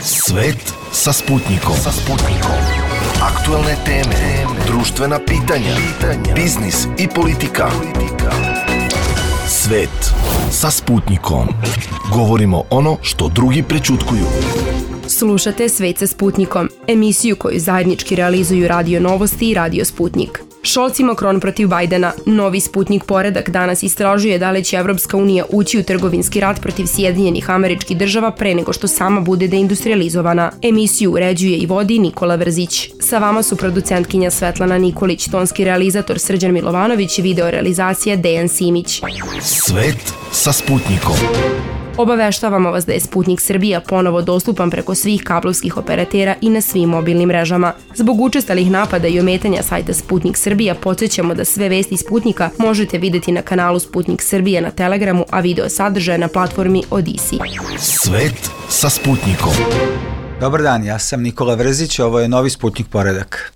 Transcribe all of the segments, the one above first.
Svet sa Sputnikom. Aktuelne teme, društvena pitanja, biznis i politika. Svet sa Sputnikom. Govorimo ono što drugi prećutkuju. Slušate Svet sa Sputnikom, emisiju koju zajednički realizuju Radio Novosti i Radio Sputnik. Scholz i Macron protiv Bajdena. Novi Sputnik poredak danas istražuje da li će Evropska unija ući u trgovinski rat protiv Sjedinjenih Američkih Država pre nego što sama bude deindustrializovana. Emisiju uređuje i vodi Nikola Vrzić. Sa vama su producentkinja Svetlana Nikolić, tonski realizator Srđan Milovanović i videorealizacija Dejan Simić. Svet sa Sputnikom. Obaveštavamo vas da je Sputnik Srbija ponovo dostupan preko svih kablovskih operatera i na svim mobilnim mrežama. Zbog učestalih napada i ometanja sajta Sputnik Srbija podsjećamo da sve vesti Sputnika možete videti na kanalu Sputnik Srbija na Telegramu, a video sadržaje na platformi Odisi. Svet sa Sputnikom. Dobar dan, ja sam Nikola Vrzić, ovo je novi Sputnik poredak.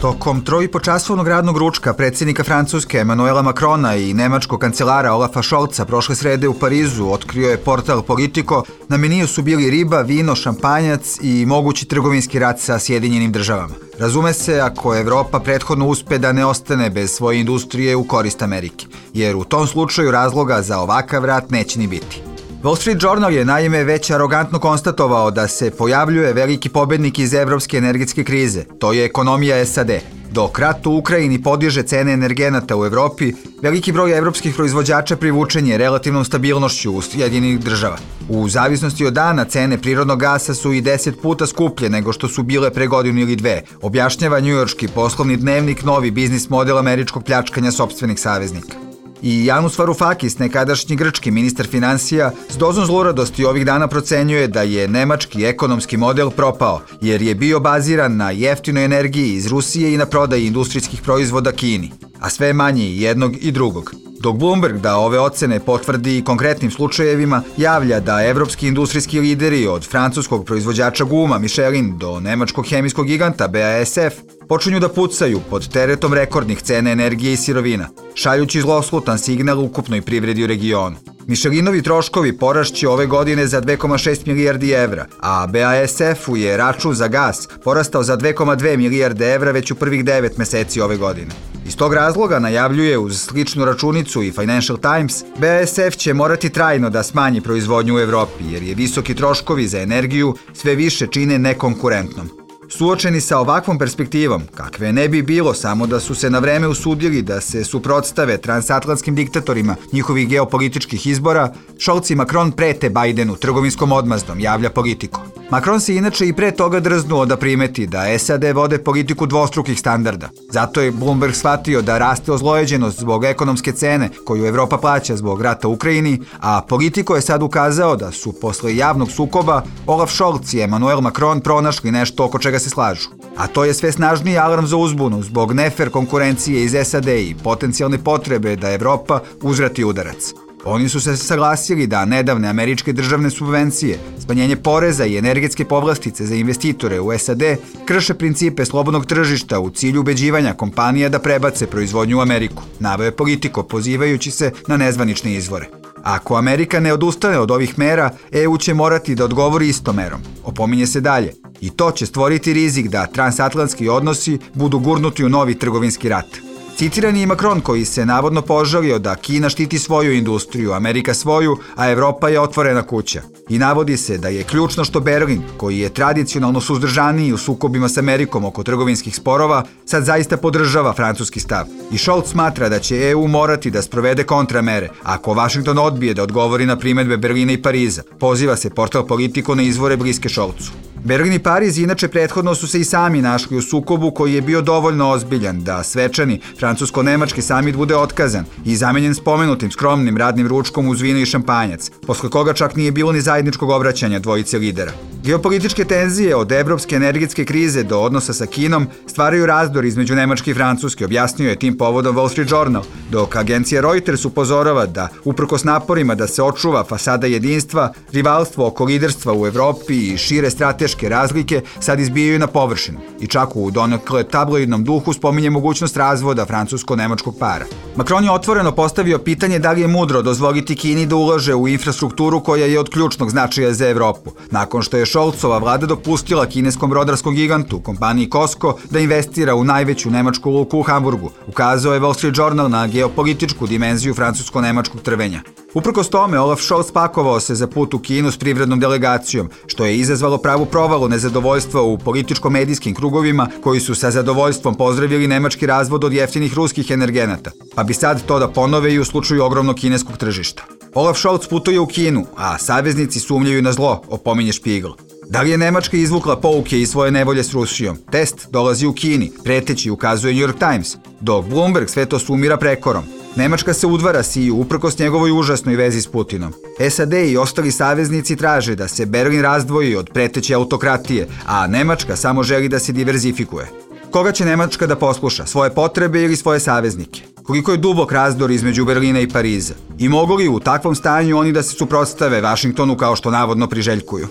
Tokom 3,5-časovnog radnog ručka predsjednika Francuske Emmanuela Macrona i nemačkog kancelara Olafa Scholza prošle srede u Parizu otkrio je portal Politico. Na meniju su bili riba, vino, šampanjac i mogući trgovinski rat sa Sjedinjenim Državama. Razume se ako Evropa prethodno uspe da ne ostane bez svoje industrije u korist Amerike, jer u tom slučaju razloga za ovakav rat neće ni biti. Wall Street Journal je naime već arogantno konstatovao da se pojavljuje veliki pobednik iz evropske energetske krize, to je ekonomija SAD. Dok rat u Ukrajini podiže cene energenata u Evropi, veliki broj evropskih proizvođača privučen je relativnom stabilnošću u Sjedinjenih Država. U zavisnosti od dana cene prirodnog gasa su i 10 puta skuplje nego što su bile pre godinu ili dve, objašnjava njujorški poslovni dnevnik novi biznis model američkog pljačkanja sopstvenih saveznika. I Janus Varoufakis, nekadašnji grčki ministar finansija, s dozom zluradosti ovih dana procenjuje da je nemački ekonomski model propao, jer je bio baziran na jeftinoj energiji iz Rusije i na prodaji industrijskih proizvoda Kini, a sve manje i jednog i drugog. Dok Bloomberg da ove ocene potvrdi i konkretnim slučajevima, javlja da evropski industrijski lideri od francuskog proizvođača guma Michelin do nemačkog hemijskog giganta BASF počinju da pucaju pod teretom rekordnih cena energije i sirovina, šaljući zloslutan signal ukupnoj privredi u regionu. Michelinovi troškovi porašće ove godine za 2,6 milijardi evra, a BASF-u je račun za gas porastao za 2,2 milijarde evra već u prvih 9 meseci ove godine. Iz tog razloga najavljuje uz sličnu računicu i Financial Times, BASF će morati trajno da smanji proizvodnju u Evropi, jer je visoki troškovi za energiju sve više čine nekonkurentnom. Suočeni sa ovakvom perspektivom, kakve ne bi bilo samo da su se na vreme usudili da se suprotstave transatlantskim diktatorima njihovih geopolitičkih izbora, Scholz i Macron prete Bajdenu trgovinskom odmazdom, javlja Politico. Macron se inače i pre toga drznuo da primeti da SAD vode politiku dvostrukih standarda. Zato je Bloomberg shvatio da raste ozlojeđenost zbog ekonomske cene koju Evropa plaća zbog rata u Ukrajini, a Politico je sad ukazao da su posle javnog sukoba Olaf Scholz i Emmanuel Macron pronašli nešto oko čega se slažu. A to je sve snažniji alarm za uzbunu zbog nefer konkurencije iz SAD i potencijalne potrebe da Evropa uzvrati udarac. Oni su se saglasili da nedavne američke državne subvencije, smanjenje poreza i energetske povlastice za investitore u SAD krše principe slobodnog tržišta u cilju ubeđivanja kompanija da prebace proizvodnju u Ameriku, naveo je Politico pozivajući se na nezvanične izvore. Ako Amerika ne odustane od ovih mera, EU će morati da odgovori istom merom, opominje se dalje. I to će stvoriti rizik da transatlantski odnosi budu gurnuti u novi trgovinski rat. Citiran je i Macron koji se navodno požalio da Kina štiti svoju industriju, Amerika svoju, a Evropa je otvorena kuća. I navodi se da je ključno što Berlin, koji je tradicionalno suzdržaniji u sukobima s Amerikom oko trgovinskih sporova, sad zaista podržava francuski stav. I Scholz smatra da će EU morati da sprovede kontramere ako Washington odbije da odgovori na primedbe Berlina i Pariza. Poziva se portal Politico na izvore bliske Scholzu. Berlin i Pariz inače prethodno su se i sami našli u sukobu koji je bio dovoljno ozbiljan da svečani francusko-nemački samit bude otkazan i zamenjen spomenutim skromnim radnim ručkom uz vino i šampanjac, posle koga čak nije bilo ni zajedničkog obraćanja dvojice lidera. Geopolitičke tenzije od evropske energetske krize do odnosa sa Kinom stvaraju razdor između Nemačke i Francuske, objasnio je tim povodom Wall Street Journal, dok agencija Reuters upozorava da, uprkos naporima da se očuva fasada jedinstva, rivalstvo oko liderstva u Evropi i šire strateške razlike sad izbijaju na površinu i čak u donekle tabloidnom duhu spominje mogućnost razvoda francusko-nemačkog para. Macron je otvoreno postavio pitanje da li je mudro dozvoliti Kini da ulaže u infrastrukturu koja je od ključnog značaja za Evropu, nakon što je Scholzova vlada dopustila kineskom brodarskom gigantu, kompaniji COSCO, da investira u najveću nemačku luku u Hamburgu, ukazao je Wall Street Journal na geopolitičku dimenziju francusko-nemačkog trvenja. Uprkos tome, Olaf Scholz pakovao se za put u Kinu s privrednom delegacijom, što je izazvalo pravu provalu nezadovoljstva u političko-medijskim krugovima, koji su sa zadovoljstvom pozdravili nemački razvod od jeftinih ruskih energenata, pa bi sad to da ponove i u slučaju ogromnog kineskog tržišta. Olaf Scholz putuje u Kinu, a saveznici sumnjaju na zlo, opominje Spiegel. Da li je Nemačka izvukla pouke iz svoje nevolje s Rusijom? Test dolazi u Kini, preteći, ukazuje New York Times, dok Bloomberg sve to sumira prekorom. Nemačka se udvara Siju uprkos njegovoj užasnoj vezi s Putinom. SAD i ostali saveznici traže da se Berlin razdvoji od preteće autokratije, a Nemačka samo želi da se diverzifikuje. Koga će Nemačka da posluša, svoje potrebe ili svoje saveznike? Koliko je dubok razdor između Berlina i Pariza? I mogu li u takvom stanju oni da se suprotstave Vašingtonu kao što navodno priželjkuju?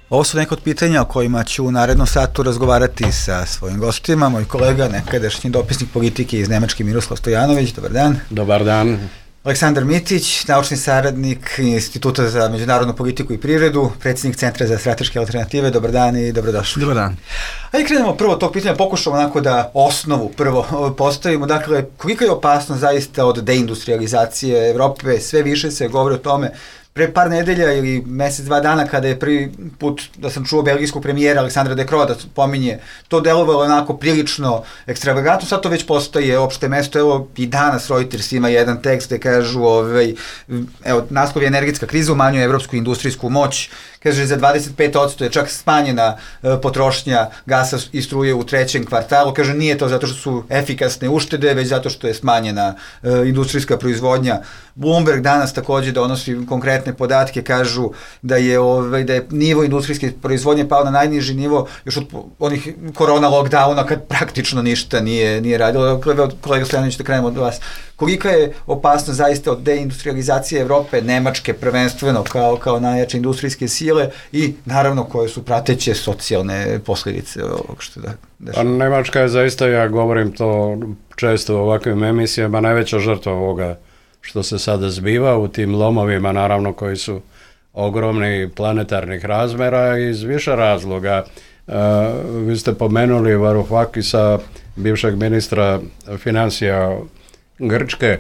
Ovo su neka od pitanja o kojima ću u narednom satu razgovarati sa svojim gostima. Moj kolega, nekadašnji dopisnik politike iz Nemačke, Miroslav Stojanović. Dobar dan. Dobar dan. Aleksandar Mitić, naučni saradnik Instituta za međunarodnu politiku i privredu, predsjednik Centra za strateške alternative. Dobar dan i dobrodošli. Dobar dan. Ajde krenemo prvo od tog pitanja, pokušamo onako da osnovu prvo postavimo. Dakle, kolika je opasnost zaista od deindustrializacije Evrope? Sve više se govori o tome. Pre par nedelja ili mesec, 2 dana kada je prvi put da sam čuo belgijskog premijera Aleksandra De Croo da pominje, to delovalo onako prilično ekstravagantno, sad to već postaje opšte mesto. Evo i danas Reuters ima jedan tekst gde kažu, evo, naslov je energetska kriza umanjuje evropsku industrijsku moć, kaže za 25% je čak smanjena potrošnja gasa i struje u 3. kvartalu, kaže nije to zato što su efikasne uštede, već zato što je smanjena industrijska proizvodnja. Bloomberg danas takođe donosi konkretne podatke, kažu da je nivo industrijske proizvodnje pao na najniži nivo još od onih korona lockdowna kad praktično ništa nije radilo. Kolega Stojanović, da krenemo od vas. Kolika je opasnost zaista od deindustrializacije Evrope, Nemačke prvenstveno kao najjače industrijske sile i naravno koje su prateće socijalne posljedice ovog što da dešava? Nemačka je zaista, ja govorim to često u ovakvim emisijama, najveća žrtva ovoga što se sada zbiva u tim lomovima, naravno koji su ogromni planetarnih razmera iz više razloga. Vi ste pomenuli Varoufakisa, bivšeg ministra financija Grčke.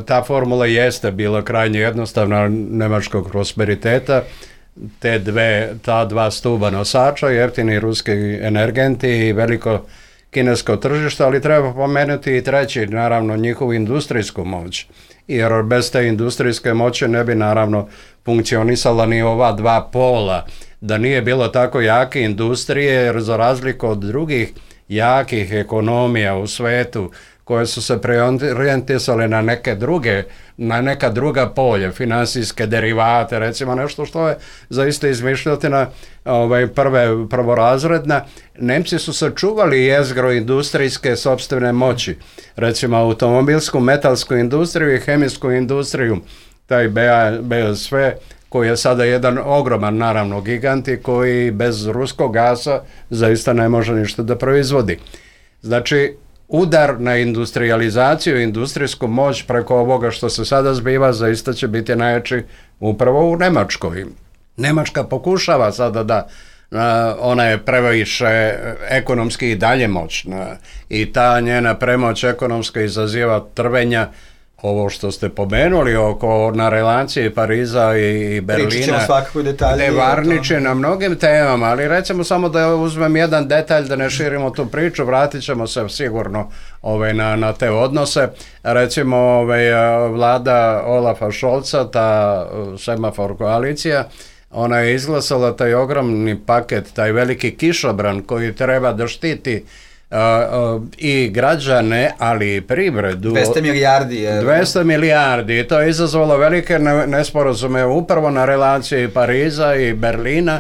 Ta formula jeste bila krajnje jednostavna nemačkog prosperiteta. Ta dva stuba nosača, jeftini ruski energenti i veliko kinesko tržište, ali treba pomenuti i treći, naravno, njihovu industrijsku moć. Jer bez te industrijske moći ne bi naravno funkcionisala ni ova dva pola. Da nije bilo tako jake industrije, jer za razliku od drugih jakih ekonomija u svetu, koje su se preorijentisale na neka druga polja, finansijske derivate, recimo nešto što je zaista izmišljotina prvorazredna. Nemci su sačuvali jezgro industrijske sopstvene moći, recimo automobilsku, metalsku industriju i hemijsku industriju, taj BASF, koji je sada jedan ogroman, naravno, gigant i koji bez ruskog gasa zaista ne može ništa da proizvodi. Znači, udar na industrializaciju, industrijsku moć preko ovoga što se sada zbiva zaista će biti najjači upravo u Nemačkoj. Nemačka pokušava sada da ona je previše ekonomski i dalje moćna i ta njena premoć ekonomska izaziva trvenja. Ovo što ste pomenuli na relaciji Pariza i Berlina, pričat ćemo svakako detalje, ne varniče na mnogim temama, ali recimo samo da uzmem jedan detalj, da ne širimo tu priču, vratit ćemo se sigurno na te odnose. Recimo vlada Olafa Scholza, ta semafor koalicija, ona je izglasala taj ogromni paket, taj veliki kišobran koji treba da štiti i građane, ali i privredu. 200 milijardi. 200 milijardi i to je izazvalo velike nesporazume upravo na relaciji Pariza i Berlina.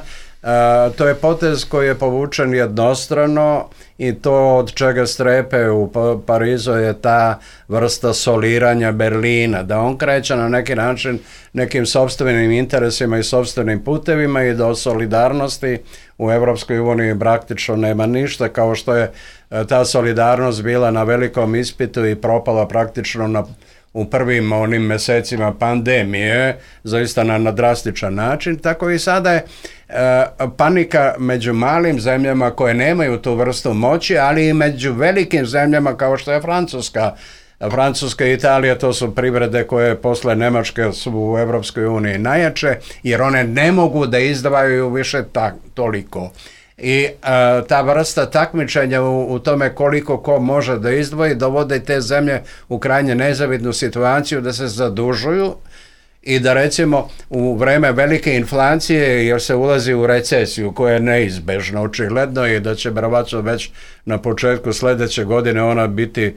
To je potez koji je povučen jednostrano i to od čega strepe u Parizu je ta vrsta soliranja Berlina, da on kreće na neki način nekim sopstvenim interesima i sopstvenim putevima i do solidarnosti u Evropskoj uniji praktično nema ništa, kao što je ta solidarnost bila na velikom ispitu i propala praktično u prvim onim mesecima pandemije, zaista na drastičan način, tako i sada je panika među malim zemljama koje nemaju tu vrstu moći, ali i među velikim zemljama kao što je Francuska. Francuska i Italija, to su privrede koje posle Nemačke su u Evropskoj uniji najjače, jer one ne mogu da izdvajaju više toliko. I ta vrsta takmičenja u tome koliko ko može da izdvoji dovode te zemlje u krajnje nezavidnu situaciju da se zadužuju i da recimo u vreme velike inflacije, jer se ulazi u recesiju koja je neizbežna očigledno i da će verovatno već na početku sledeće godine ona biti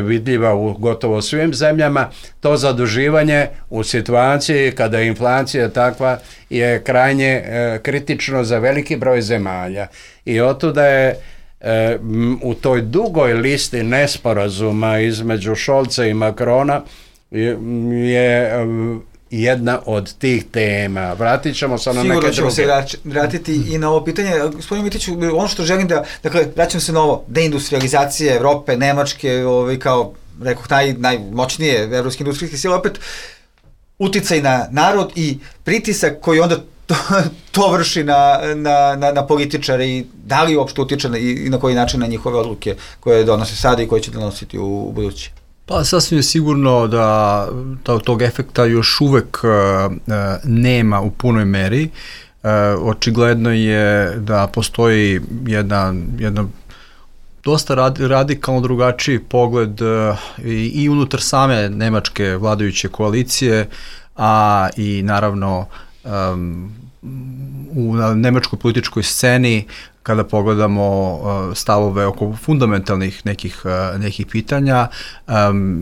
vidljiva u gotovo svim zemljama, to zaduživanje u situaciji kada je inflacija takva je krajnje kritično za veliki broj zemalja i otuda je u toj dugoj listi nesporazuma između Scholza i Macrona je jedna od tih tema. Vratit ćemo se na neke druge. Sigurno ćemo se vratiti i na ovo pitanje. Gospodin Mitiću, ono što želim da, dakle, vraćam se na ovo, deindustrializacija Evrope, Nemačke, kao, rekoh, najmoćnije evropske industrijske sile, opet uticaj na narod i pritisak koji onda to vrši na političare i da li uopšte utiče i na koji način na njihove odluke koje donose sada i koje će donositi u budući. Pa sasvim je sigurno da tog efekta još uvek nema u punoj meri. Očigledno je da postoji jedna dosta radikalno drugačiji pogled i unutar same nemačke vladajuće koalicije, a i naravno u nemačkoj političkoj sceni kada pogledamo stavove oko fundamentalnih nekih pitanja,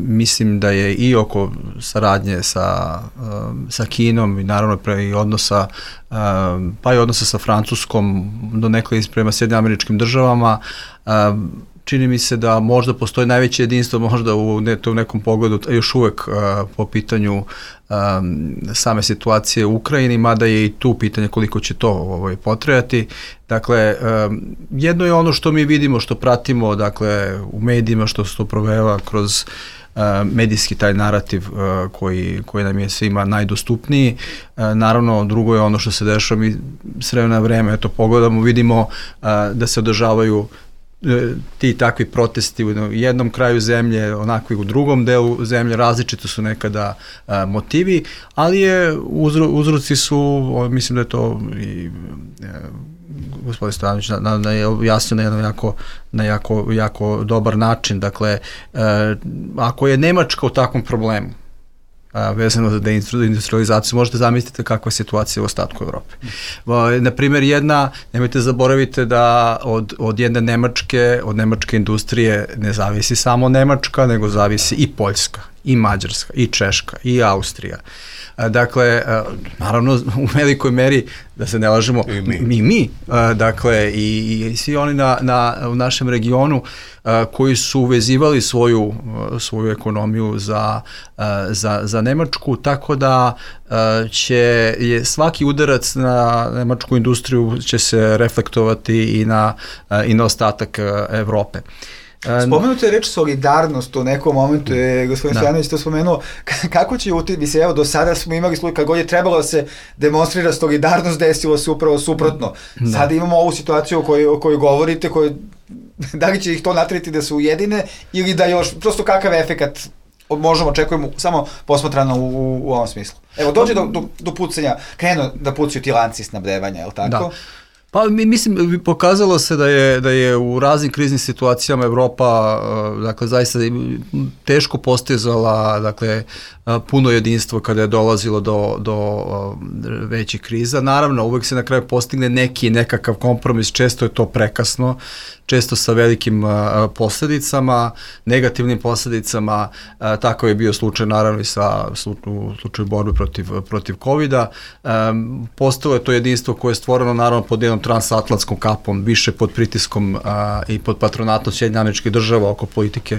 mislim da je i oko saradnje sa Kinom i naravno i odnosa pa i odnosa sa Francuskom do nekada prema Sjedinjenim Američkim Državama, čini mi se da možda postoji najveće jedinstvo možda u nekom pogledu još uvek po pitanju same situacije u Ukrajini, mada je i tu pitanje koliko će to potrajati. Dakle, jedno je ono što mi vidimo, što pratimo, dakle, u medijima, što se to proveva kroz medijski taj narativ koji nam je svima najdostupniji. Naravno, drugo je ono što se dešava, mi s vremena na vreme, pogledamo, vidimo da se održavaju ti takvi protesti u jednom kraju zemlje, onakvi u drugom delu zemlje, različito su nekada motivi, ali uzroci su, mislim da je to i gospodin Stojanović jasno na jako dobar način. Dakle, ako je Nemačka u takvom problemu, vezano za deindustrializaciju, možete zamisliti kakva je situacija u ostatku Evrope. Naprimjer, nemojte zaboravite da od jedne nemačke industrije ne zavisi samo Nemačka, nego zavisi i Poljska, i Mađarska, i Češka, i Austrija. Dakle, naravno, u velikoj meri, da se ne lažemo, i mi, dakle, i svi oni u našem regionu koji su uvezivali svoju ekonomiju za Nemačku, tako da je svaki udarac na nemačku industriju će se reflektovati i na ostatak Evrope. Spomenuto je reč solidarnost u nekom momentu, je gospodin Stojanović to spomenuo, kako će mislim, evo do sada smo imali slučaj, kad god je trebalo da se demonstrira solidarnost, desilo se upravo suprotno. Sada imamo ovu situaciju o kojoj govorite, da li će ih to natreti da se ujedine ili da još, prosto kakav efekat možemo očekujemo samo posmatrano u ovom smislu. Evo, dođe do pucanja, krenu da pucaju ti lanci snabdevanja, je li tako? Da. Pa mislim, pokazalo se da je u raznim kriznim situacijama Evropa, dakle, zaista teško postizala, dakle, puno jedinstvo kada je dolazilo do većih kriza. Naravno, uvek se na kraju postigne nekakav kompromis, često je to prekasno, često sa velikim posledicama, negativnim posledicama. Tako je bio slučaj naravno i u slučaju borbe protiv COVID-a. Postalo je to jedinstvo koje je stvoreno naravno pod jednom transatlantskom kapom, više pod pritiskom i pod patronatom Sjedinjenih Američkih Država oko politike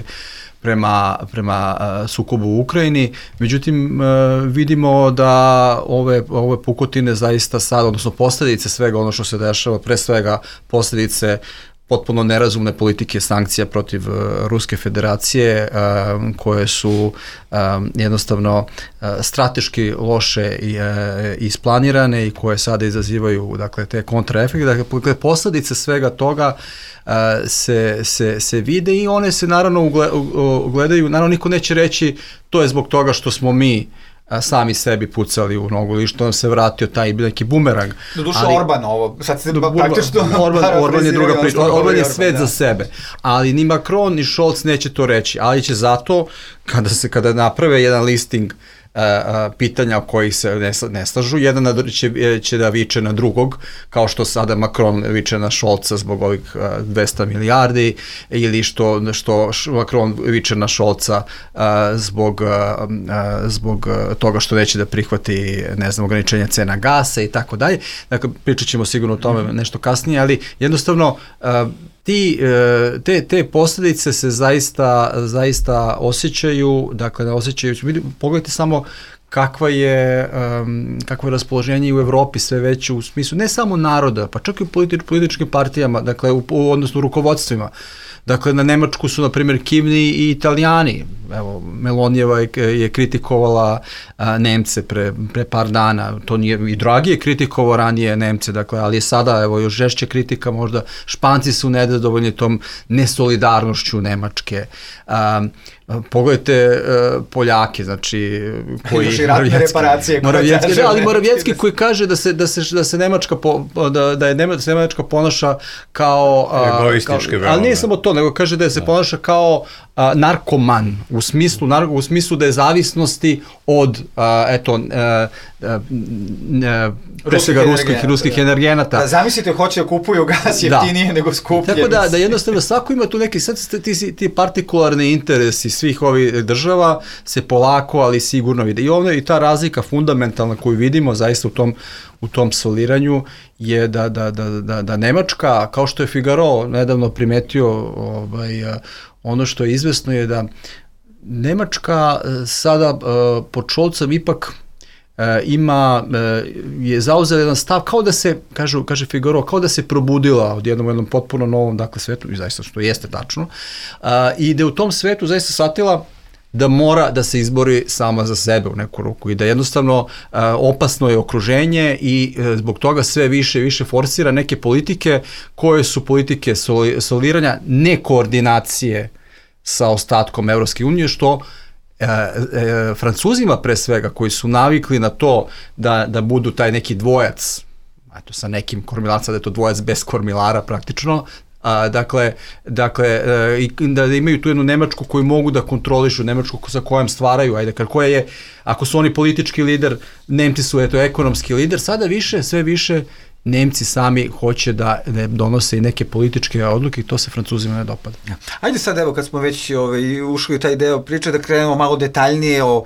prema sukobu u Ukrajini. Međutim, vidimo da ove pukotine zaista sad, odnosno posledice svega ono što se dešava, pre svega posledice potpuno nerazumne politike sankcija protiv Ruske federacije koje su jednostavno strateški loše isplanirane i koje sada izazivaju dakle, te kontraefekte. Dakle, posledice svega toga se vide i one se naravno ugledaju, naravno niko neće reći to je zbog toga što smo mi sami sebi pucali u nogu ili što nam se vratio taj neki bumerang. Doduše Orban ovo, sad se praktično... Orban je druga priča, Orban je svet za sebe, ali ni Macron ni Scholz neće to reći, ali će zato kada naprave jedan listing pitanja o kojih se ne slažu, jedan će da viče na drugog, kao što sada Macron viče na Scholza zbog ovih 200 milijardi, ili što Macron viče na Scholza zbog toga što neće da prihvati, ne znam, ograničenja cena gasa i tako dalje. Dakle, pričat ćemo sigurno o tome nešto kasnije, ali jednostavno te posljedice se zaista osjećaju, dakle osjećaju, pogledajte samo kakvo je raspoloženje u Evropi sve veće u smislu ne samo naroda, pa čak i u političkim partijama, dakle odnosno u rukovodstvima. Dakle, na Nemačku su, na primjer, kivni i Italijani. Evo, Melonijeva je kritikovala Nemce pre par dana. To nije, i Draghi je kritikovao ranije Nemce, dakle, ali je sada, evo, još žešće kritika možda. Španci su nezadovoljni tom nesolidarnošću Nemačke. Pogledajte Poljake, znači koji Morawiecki koji kaže da se Nemačka Nemačka ponaša kao egoistički, ali nije samo to, nego kaže da se ponaša kao narkoman u smislu da je zavisnosti od pre svega ruskih energenata. Da, zamislite, hoće da kupuju gas jeftinije nego skuplje. Tako da jednostavno svako ima tu neki, sad ti partikularni interesi svih ovih država se polako, ali sigurno vide. I ta razlika fundamentalna koju vidimo zaista u tom soliranju je da Nemačka, kao što je Figaro nedavno primetio, ono što je izvesno je da Nemačka sada pod Scholzom ipak je zauzela jedan stav kao da se, kaže Figaro, kao da se probudila od jednom potpuno novom, dakle, svetu, i zaista što jeste tačno, i da u tom svetu zaista shvatila da mora da se izbori sama za sebe u neku ruku i da jednostavno opasno je okruženje i zbog toga sve više i više forsira neke politike koje su politike soliranja, nekoordinacije sa ostatkom Evropske unije, što Francuzima pre svega, koji su navikli na to da budu taj neki dvojac, eto sa nekim kormilaca, da je to dvojac bez kormilara praktično, dakle, da imaju tu jednu Nemačku koju mogu da kontrolišu, Nemačku sa kojom stvaraju, koja je, ako su oni politički lider, Nemci su ekonomski lider, sada sve više Nemci sami hoće da donose i neke političke odluke i to se Francuzima ne dopada. Ajde sad, evo, kad smo već ušli u taj deo priče, da krenemo malo detaljnije o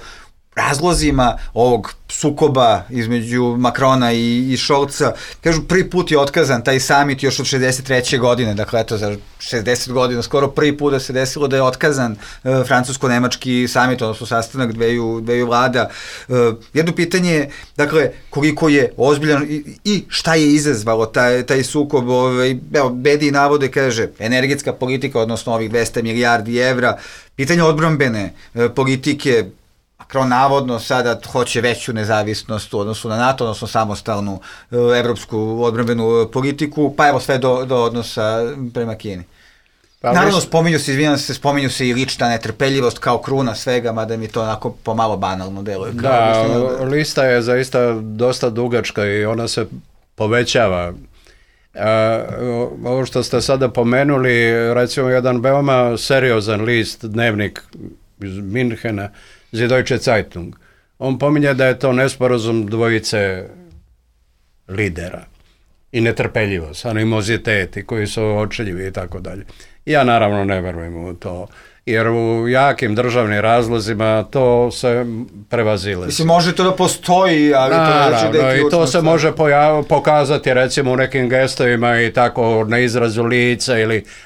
razlozima ovog sukoba između Macrona i Scholza. Kažu, prvi put je otkazan taj summit još od 63. godine, dakle, eto, za 60 godina, skoro prvi put da se desilo da je otkazan francusko-nemački summit, odnosno sastanak dveju vlada. Jedno pitanje je, dakle, koliko je ozbiljan i šta je izazvalo taj sukob. Evo, Bedi navode, kaže, energetska politika, odnosno ovih 200 milijardi evra, pitanje odbrambene politike. Macron navodno sada hoće veću nezavisnost u odnosu na NATO, odnosno samostalnu evropsku odbrambenu politiku, pa evo sve do odnosa prema Kini. Naravno, spominju se i lična netrpeljivost kao kruna svega, mada mi to onako pomalo banalno deluje. Da, lista je zaista dosta dugačka i ona se povećava. Ovo što ste sada pomenuli, recimo jedan veoma seriozan list, dnevnik iz Minhena, Süddeutsche Zeitung. On pominje da je to nesporazum dvojice lidera i netrpeljivost, animoziteti koji su očeljivi i tako dalje. Ja naravno ne verujem u to, jer u jakim državnim razlozima to se prevazile. Mislim, može to da postoji, ali to znači da je ključno. I to se može pokazati recimo u nekim gestovima i tako na izrazu lica,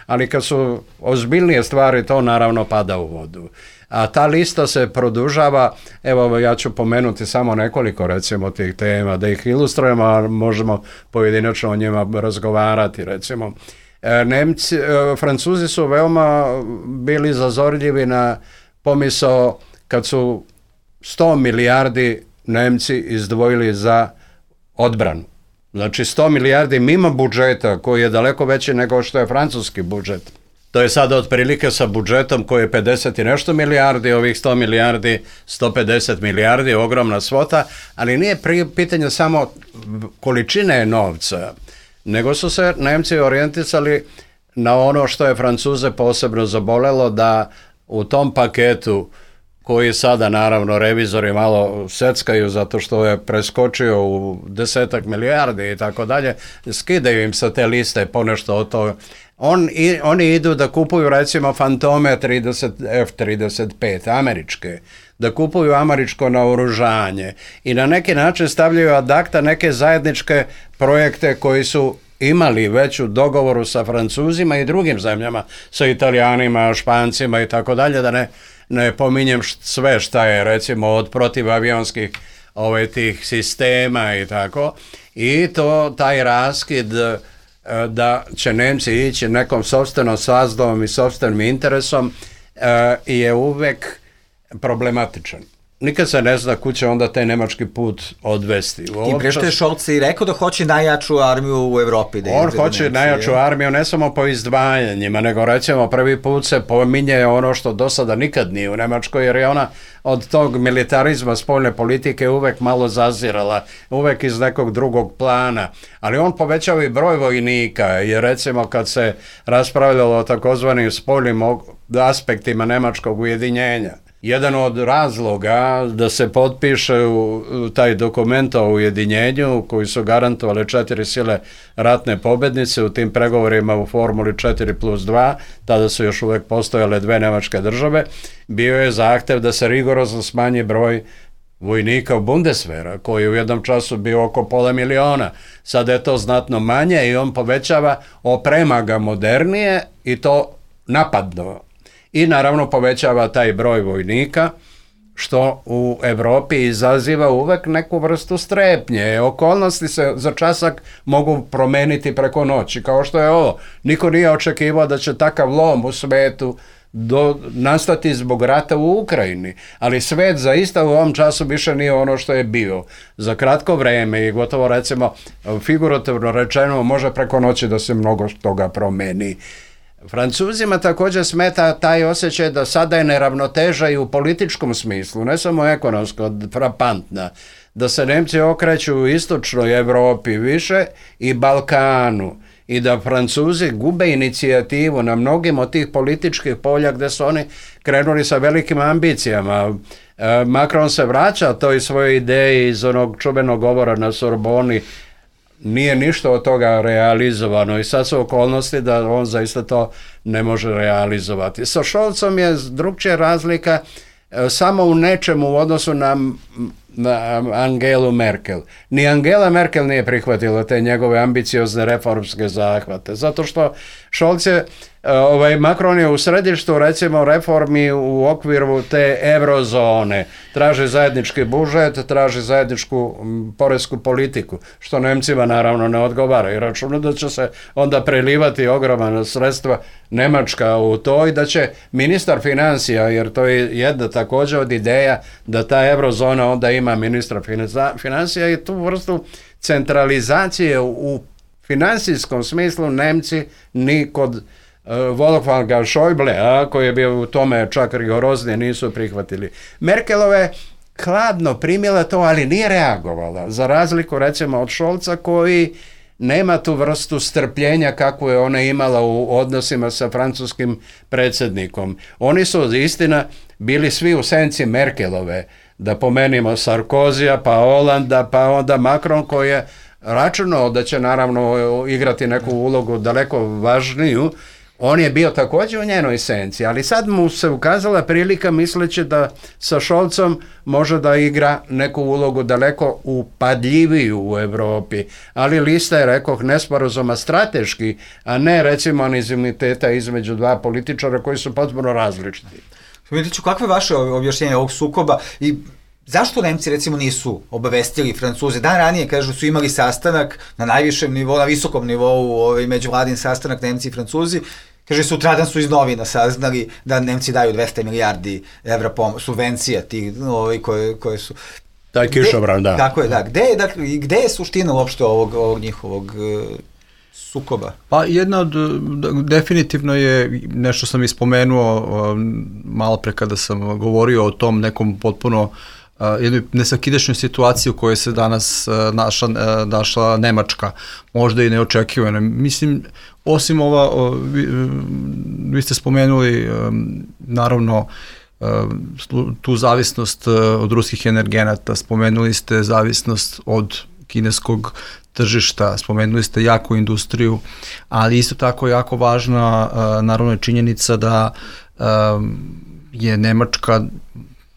ali kad su ozbiljnije stvari, to naravno pada u vodu. A ta lista se produžava, evo ja ću pomenuti samo nekoliko recimo tih tema, da ih ilustrujemo, a možemo pojedinačno o njima razgovarati, recimo. Francuzi su veoma bili zazorljivi na pomisao kad su 100 milijardi Nemci izdvojili za odbranu. Znači 100 milijardi mimo budžeta koji je daleko veći nego što je francuski budžet. To je sada otprilike sa budžetom koji je 50 i nešto milijardi, ovih 100 milijardi, 150 milijardi, ogromna svota, ali nije pitanje samo količine novca, nego su se Nemci orijentisali na ono što je Francuze posebno zabolelo, da u tom paketu koji sada naravno revizori malo seckaju zato što je preskočio u 10 milijardi i tako dalje, skidaju im sa te liste ponešto od toga. Oni idu da kupuju recimo Fantome F-35 američke, da kupuju američko naoružanje i na neki način stavljaju ad acta neke zajedničke projekte koji su imali već u dogovoru sa Francuzima i drugim zemljama, sa Italijanima, Špancima i tako dalje, da ne pominjem sve šta je recimo od protivavionskih tih sistema i tako, i taj raskid da će Nemci ići nekom sopstvenom sazdovom i sopstvenim interesom je uvek problematičan. Nikad se ne zna kud će onda taj nemački put odvesti. Tim pre što je Scholz i rekao da hoće najjaču armiju u Evropi. On hoće najjaču armiju ne samo po izdvajanjima, nego recimo prvi put se pominje ono što do sada nikad nije u Nemačkoj, jer je ona od tog militarizma spoljne politike uvek malo zazirala, uvek iz nekog drugog plana. Ali on povećava i broj vojnika, jer recimo kad se raspravljalo o takozvanim spoljnim aspektima nemačkog ujedinjenja, jedan od razloga da se potpiše taj dokument o ujedinjenju koji su garantovale 4 sile ratne pobednice u tim pregovorima u formuli 4+2, tada su još uvek postojale 2 nemačke države, bio je zahtev da se rigorozno smanji broj vojnika u Bundeswehra, koji je u jednom času bio oko 500.000. Sada je to znatno manje i on povećava, oprema ga modernije i to napadno. I naravno povećava taj broj vojnika, što u Evropi izaziva uvek neku vrstu strepnje. Okolnosti se za časak mogu promeniti preko noći, kao što je ovo. Niko nije očekivao da će takav lom u svetu nastati zbog rata u Ukrajini, ali svet zaista u ovom času više nije ono što je bio. Za kratko vreme i gotovo recimo figurativno rečeno može preko noći da se mnogo toga promeni. Francuzima također smeta taj osjećaj da sada je neravnoteža i u političkom smislu, ne samo ekonomsko, frapantna, da se Nemci okreću u istočnoj Evropi više i Balkanu i da Francuzi gube inicijativu na mnogim od tih političkih polja gde su oni krenuli sa velikim ambicijama. Macron se vraća toj svojoj ideji iz onog čuvenog govora na Sorboni, nije ništa od toga realizovano i sad su okolnosti da on zaista to ne može realizovati. Sa Scholzom je drugčija razlika samo u nečemu u odnosu na Angelu Merkel. Ni Angela Merkel nije prihvatila te njegove ambiciozne reformske zahvate, zato što Scholz je, Macron je u središtu recimo reformi u okviru te eurozone, traži zajednički budžet, traži zajedničku poresku politiku, što Nemcima naravno ne odgovara i računa da će se onda prelivati ogromna sredstva Nemačka u to i da će ministar financija, jer to je jedna također od ideja da ta eurozona onda ima ministra financija i tu vrstu centralizacije u financijskom smislu Nemci ni kod Wolfganga Schäuble, koji je bio u tome čak rigoroznije, nisu prihvatili. Merkelove hladno primjela to, ali nije reagovala, za razliku recimo od Scholza koji nema tu vrstu strpljenja kako je ona imala u odnosima sa francuskim predsjednikom. Oni su istina bili svi u senci Merkelove, da pomenimo Sarkozija, pa Holanda, pa onda Macron koji je računao da će naravno igrati neku ulogu daleko važniju. On je bio također u njenoj senci, ali sad mu se ukazala prilika misleći da sa Scholzom može da igra neku ulogu daleko upadljiviju u Evropi, ali lista je, rekoh, nesporazuma strateški, a ne recimo animoziteta između dva političara koji su potpuno različiti. Vidjet ću, kakve je vaše objašnjenje ovog sukoba i Zašto Nemci recimo nisu obavestili Francuze? Dan ranije, kažu, su imali sastanak na najvišem nivou, na visokom nivou, međuvladin sastanak Nemci i Francuzi. Kaže, sutradan su iz novina saznali da Nemci daju 200 milijardi evra subvencija tih koje su... Taj kišobran, da. Tako je, da. Gde je suština uopšte ovog njihovog sukoba? Pa jedna od, definitivno je, nešto sam ispomenuo malo pre kada sam govorio o tom nekom potpuno jednoj nesakidašnjoj situaciji u kojoj se danas našla Nemačka, možda i neočekivano. Mislim, osim vi ste spomenuli naravno tu zavisnost od ruskih energenata, spomenuli ste zavisnost od kineskog tržišta, spomenuli ste jaku industriju, ali isto tako jako važna naravno je činjenica da je Nemačka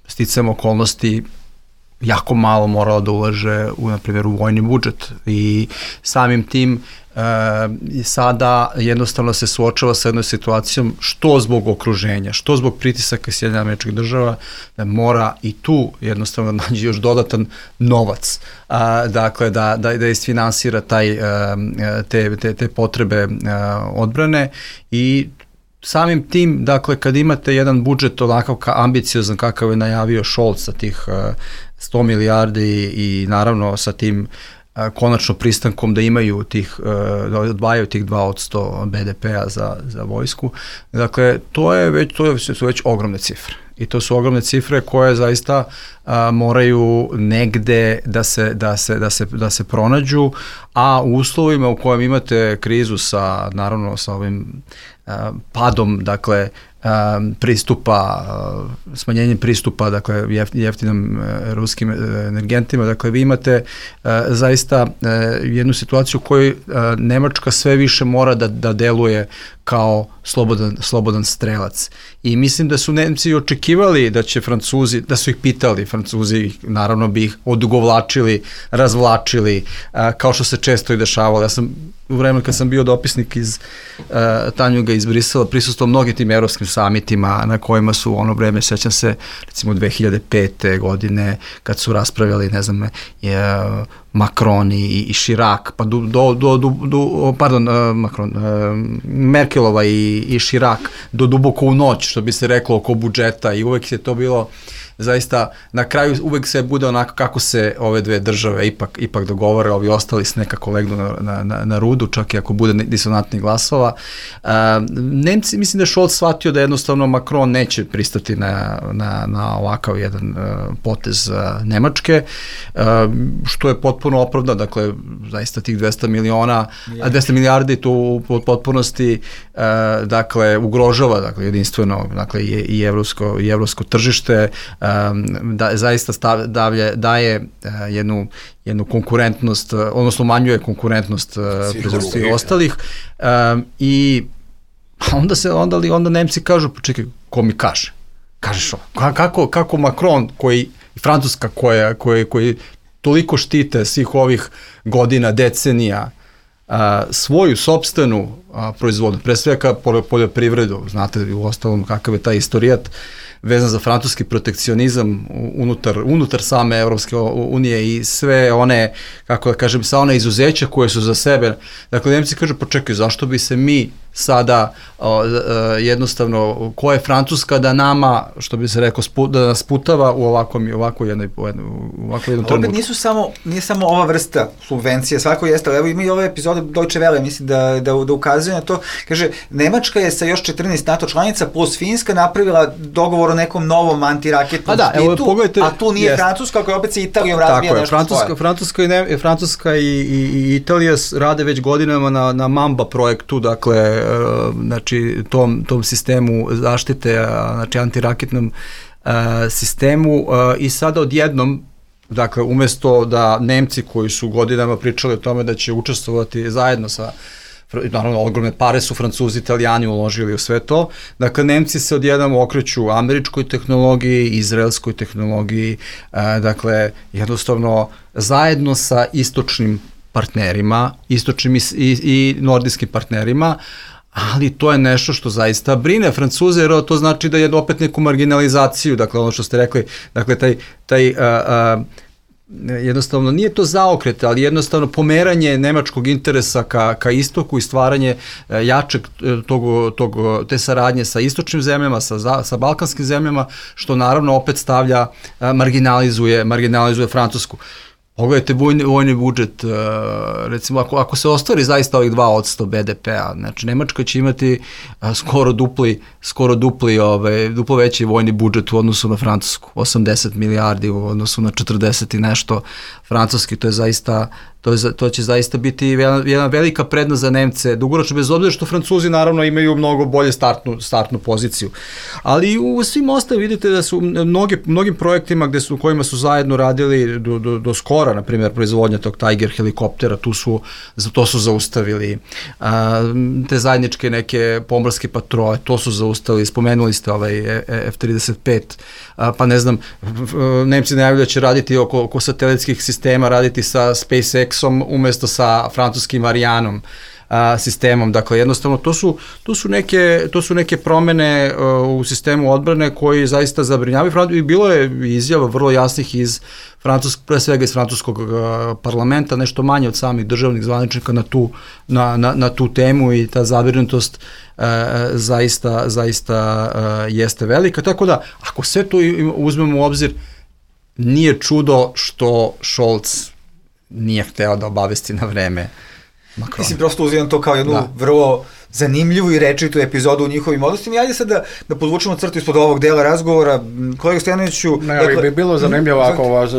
sticajem okolnosti jako malo morala da ulaže na primjer u vojni budžet i samim tim sada jednostavno se suočava sa jednom situacijom što zbog okruženja, što zbog pritisaka Sjedinjenih Američkih Država, da mora i tu jednostavno nađe još dodatan novac, dakle da isfinansira te potrebe odbrane i samim tim, dakle, kad imate jedan budžet onakav ambiciozan kakav je najavio Scholz sa tih 100 milijardi i naravno sa tim konačno pristankom da imaju da odvajaju tih 2% BDP-a za vojsku, dakle, to su već ogromne cifre. I to su ogromne cifre koje zaista moraju negde da se pronađu, a u uslovima u kojem imate krizu naravno sa ovim padom, dakle, pristupa, smanjenjem pristupa, dakle, jeftinim ruskim energentima, dakle, vi imate zaista jednu situaciju u kojoj Nemačka sve više mora da deluje kao slobodan strelac. I mislim da su Nemci očekivali da će Francuzi, da su ih pitali, Francuzi naravno bi ih odugovlačili, razvlačili, kao što se često i dešavalo. Ja sam u vremenu kad sam bio dopisnik iz Tanjuga iz Brisela prisustvovao mnogim tim evropskim samitima na kojima su ono vreme, sećam se recimo 2005. godine kad su raspravljali, ne znam, Macron i Chirac, pa Merkelova i Chirac do duboko u noć, što bi se reklo, oko budžeta, i uvek je to bilo zaista, na kraju uvek se bude onako kako se ove dve države ipak dogovore, ovi ostali se nekako legnu na rudu, čak i ako bude disonantnih glasova. Nemci, mislim da je Scholz shvatio da jednostavno Macron neće pristati na ovakav jedan potez Nemačke, što je potpuno opravdano, dakle, zaista tih 200 milijardi tu u potpunosti, dakle, ugrožava, dakle, jedinstveno, dakle, i evropsko tržište, da zaista daje jednu konkurentnost, odnosno umanjuje konkurentnost proizvodstva ostalih, i onda Nemci kažu, pa čekaj, ko mi kaže? Kažeš ovo, kako Macron i Francuska koji toliko štite svih ovih godina, decenija, svoju sopstvenu proizvodnju, pre svega poljoprivredu, znate u ostalom kakav je taj istorijat vezan za francuski protekcionizam unutar same Evropske unije i sve one, kako da kažem, sa one izuzeća koje su za sebe. Dakle, Nemci kažu, pa čekaj, zašto bi se mi sada jednostavno, ko je Francuska da nama, što bi se rekao, da nas putava u ovako jednom trenutku. Opet nije samo ova vrsta subvencije, svako jeste, ali evo ima i ove epizode Deutsche Welle, mislim da ukazuje na to, kaže, Nemačka je sa još 14 NATO članica plus Finska napravila dogovor o nekom novom antiraketnom špitu, a tu nije Francuska, koja opet se Italijom razvija nešto svoje. Francuska i Italija rade već godinama na Mamba projektu, dakle, znači tom sistemu zaštite, znači antiraketnom sistemu, i sada odjednom, dakle, umesto da Nemci koji su godinama pričali o tome da će učestvovati zajedno sa, naravno, ogromne pare su Francuzi, Italijani uložili u sve to, dakle, Nemci se odjednom okreću američkoj tehnologiji, izraelskoj tehnologiji, dakle, jednostavno zajedno sa istočnim partnerima, istočnim i nordijskim partnerima, ali to je nešto što zaista brine Francuze, jer to znači da je opet neku marginalizaciju, dakle ono što ste rekli, dakle taj jednostavno nije to zaokret, ali jednostavno pomeranje nemačkog interesa ka istoku i stvaranje jačeg te saradnje sa istočnim zemljama, sa balkanskim zemljama, što naravno opet marginalizuje Francusku. Pogledajte vojni budžet, recimo ako se ostvari zaista ovih 2% BDP-a, znači Nemačka će imati skoro duplo veći vojni budžet u odnosu na Francusku, 80 milijardi u odnosu na 40 i nešto francuski, to će zaista biti jedna velika prednost za Nemce, dugoročno, bez obzira što Francuzi naravno imaju mnogo bolje startnu poziciju. Ali u svim ostalim vidite da su mnogim projektima u kojima su zajedno radili do skora, na primjer proizvodnja tog Tiger helikoptera, to su zaustavili, te zajedničke neke pomorske patrole, to su zaustavili, spomenuli ste ovaj F-35, pa ne znam, Nemci najavljaju da će raditi oko satelitskih sistema, raditi sa SpaceX-om umesto sa francuskim Arianom sistemom. Dakle, jednostavno, to su neke promene u sistemu odbrane koji zaista zabrinjavaju. I bilo je izjava vrlo jasnih pre svega iz francuskog parlamenta, nešto manje od samih državnih zvaničnika na tu temu, i ta zabrinutost zaista jeste velika. Tako da, ako sve to uzmemo u obzir, nije čudo što Scholz nije hteo da obavesti na vreme Macrona. Mislim, prosto uzimam to kao jednu vrlo zanimljivu i rečitu epizodu u njihovim odnosima. I ajde sad da podvučemo crtu ispod ovog dela razgovora. Kolega Stojanoviću... Ne, bi bilo zanimljivo ako vas,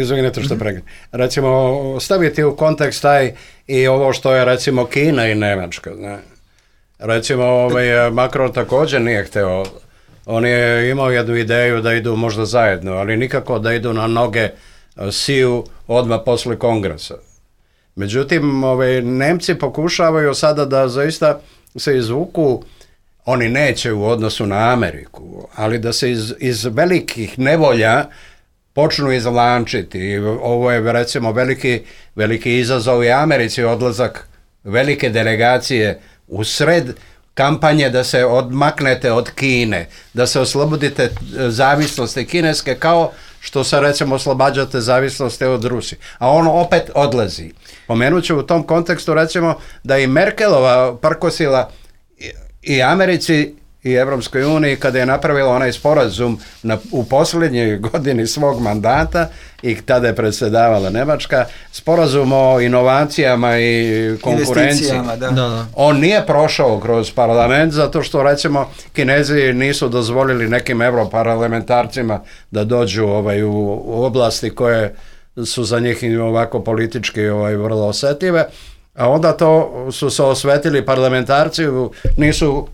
izvinite što pregledam. Recimo, staviti u kontekst taj i ovo što je, recimo, Kina i Nemačka. Ne? Recimo, Macron također nije hteo. On je imao jednu ideju da idu možda zajedno, ali nikako da idu na noge Siju odmah posle kongresa. Međutim, Nemci pokušavaju sada da zaista se izvuku, oni neće u odnosu na Ameriku, ali da se iz velikih nevolja počnu izvlačiti. Ovo je recimo veliki izazov i Americi, odlazak velike delegacije u sred kampanje da se odmaknete od Kine, da se oslobodite zavisnosti kineske, kao što se recimo oslobađate zavisnosti od Rusije. A on opet odlazi. Pomenut ću u tom kontekstu recimo da i Merkelova prkosila i Americi i Evropskoj uniji kada je napravila onaj sporazum u posljednjoj godini svog mandata, i tada je predsjedavala Nemačka, sporazum o inovacijama i konkurenciji. Da. On nije prošao kroz parlament zato što recimo Kinezi nisu dozvolili nekim europarlamentarcima da dođu u oblasti koje su za njih ovako politički vrlo osjetljive, a onda to su se osvetili parlamentarci, nisu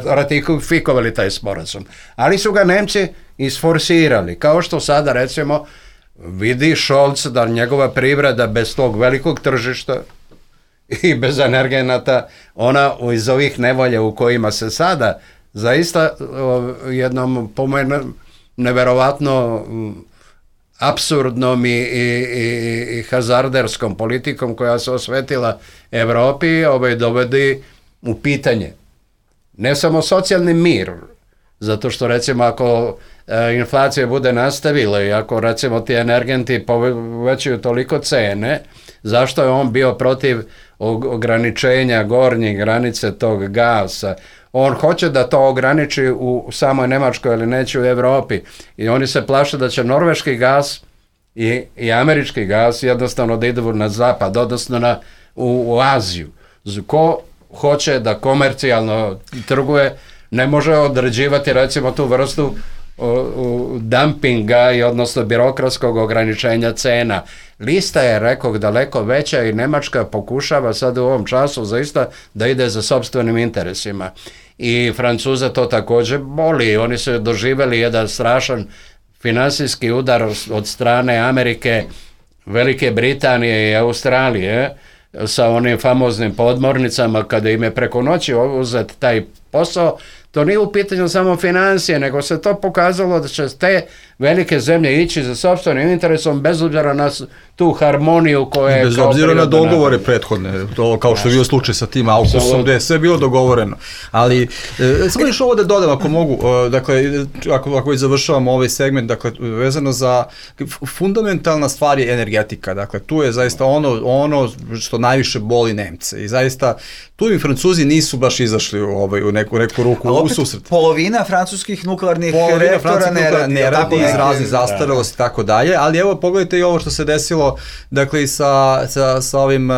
ratifikovali taj sporazum. Ali su ga Nemci isforsirali, kao što sada recimo vidi Scholz da njegova privreda bez tog velikog tržišta i bez energenata, ona iz ovih nevolja u kojima se sada zaista jednom neverovatno apsurdnom i hazarderskom politikom koja se osvetila Evropi dovodi u pitanje ne samo socijalni mir, zato što recimo ako inflacija bude nastavila i ako recimo ti energenti povećaju toliko cene, zašto je on bio protiv ograničenja gornje granice tog gasa? On hoće da to ograniči u samoj Nemačkoj, ali neće u Evropi. I oni se plaše da će norveški gas i američki gas jednostavno da idu na zapad, odnosno u Aziju. Ko hoće da komercijalno trguje, ne može određivati recimo tu vrstu dumpinga i odnosno birokratskog ograničenja cena. Lista je, rekao, daleko veća i Nemačka pokušava sad u ovom času zaista da ide za sopstvenim interesima. I Francuza to također boli. Oni su doživjeli jedan strašan finansijski udar od strane Amerike, Velike Britanije i Australije sa onim famoznim podmornicama kada im je preko noći uzet taj posao. To nije u pitanju samo financije, nego se to pokazalo da će te velike zemlje ići za sopstvenim interesom bez obzira na tu harmoniju koja je... Bez obzira na dogovore prethodne, to kao što je bio slučaj sa tim AUKUS-om, gde je sve bilo dogovoreno. Ali, samo još ovo da dodam, ako mogu, dakle, ako već završavamo ovaj segment, dakle, vezano za fundamentalna stvar je energetika, dakle, tu je zaista ono što najviše boli Nemce i zaista tu i Francuzi nisu baš izašli u neku ruku u susret. Polovina francuskih nuklearnih reaktora ne radi iz raznih zastarelosti i tako dalje, ali evo pogledajte i ovo što se desilo, dakle i sa ovim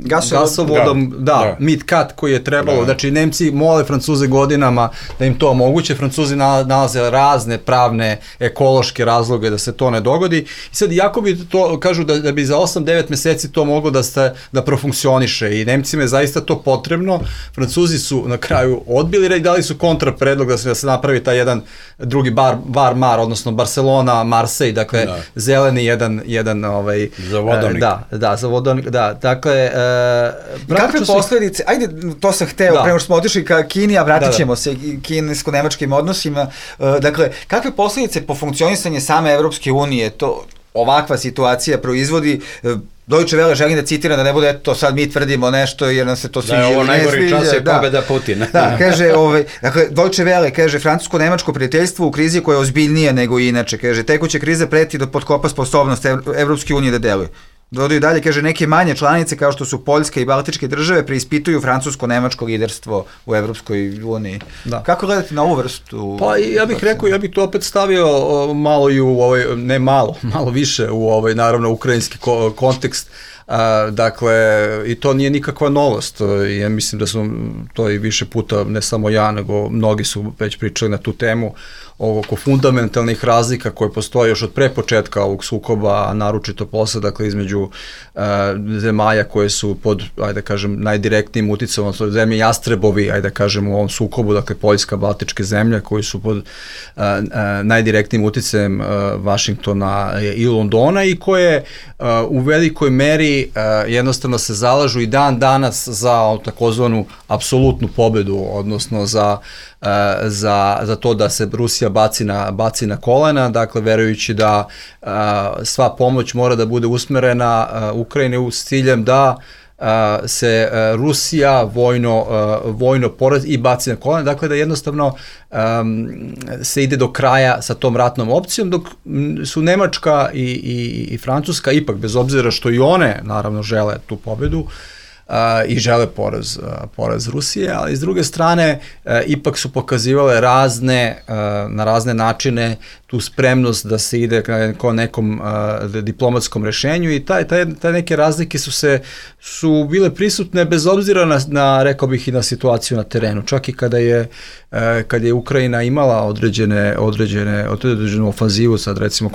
gasovodom, MidCat koji je trebalo, znači Nemci mole Francuze godinama da im to omoguće, Francuzi nalaze razne pravne, ekološke razloge da se to ne dogodi i sad jako bi to, kažu da bi za 8-9 meseci to moglo da profunkcioniše i Nemcima je zaista to potrebno, Francuzi su na kraju odbili i dali su kontrapredlog da se napravi taj jedan drugi Bar-Mar, odnosno Barcelona-Marseille, dakle zeleni jedan za vodonik. Za vodonik, dakle... Kakve posledice, ajde, to sam hteo, prema što smo otišli ka Kini, a vratit ćemo se kinesko-nemačkim odnosima, dakle, kakve posledice po funkcionisanje same Evropske unije to ovakva situacija proizvodi? Deutsche Welle želim da citiram, da ne bude eto sad mi tvrdimo nešto jer nam se to sviđa. Da je ovo najgori čas je pobeda Putina. Da, kaže, dakle, Deutsche Welle kaže, francusko-nemačko prijateljstvo u krizi koja je ozbiljnije nego inače, kaže, tekuća kriza preti da potkopa sposobnost Evropske unije da deluje. Dodaju dalje, kaže, neke manje članice kao što su Poljska i Baltičke države preispituju francusko-nemačko liderstvo u Evropskoj uniji. Kako gledate na ovu vrstu? Pa ja bih rekao, ja bih to opet stavio malo i u ne malo više u naravno ukrajinski kontekst. Dakle, i to nije nikakva novost. Ja mislim da su to i više puta, ne samo ja, nego mnogi su već pričali na tu temu oko fundamentalnih razlika koje postoje još od pre početka ovog sukoba, a naročito posle, dakle, između zemalja koje su pod, ajde kažem, najdirektnijim uticom, odnosno zemlje jastrebovi, ajde kažem, u ovom sukobu, dakle, Poljska, Baltičke zemlje, koji su pod najdirektnijim uticajem Vašingtona i Londona i koje u velikoj meri jednostavno se zalažu i dan danas za takozvanu apsolutnu pobedu, odnosno za to da se Rusija baci na kolena, dakle verujući da sva pomoć mora da bude usmerena Ukrajini s ciljem da se Rusija vojno porazi i baci na kolena, dakle da jednostavno se ide do kraja sa tom ratnom opcijom, dok su Nemačka i Francuska ipak, bez obzira što i one naravno žele tu pobedu, i žele poraz Rusije, ali s druge strane ipak su pokazivale na razne načine tu spremnost da se ide ka nekom diplomatskom rešenju i taj neke razlike su bile prisutne bez obzira rekao bih i na situaciju na terenu, čak i kada je Ukrajina imala određenu ofanzivu, sad recimo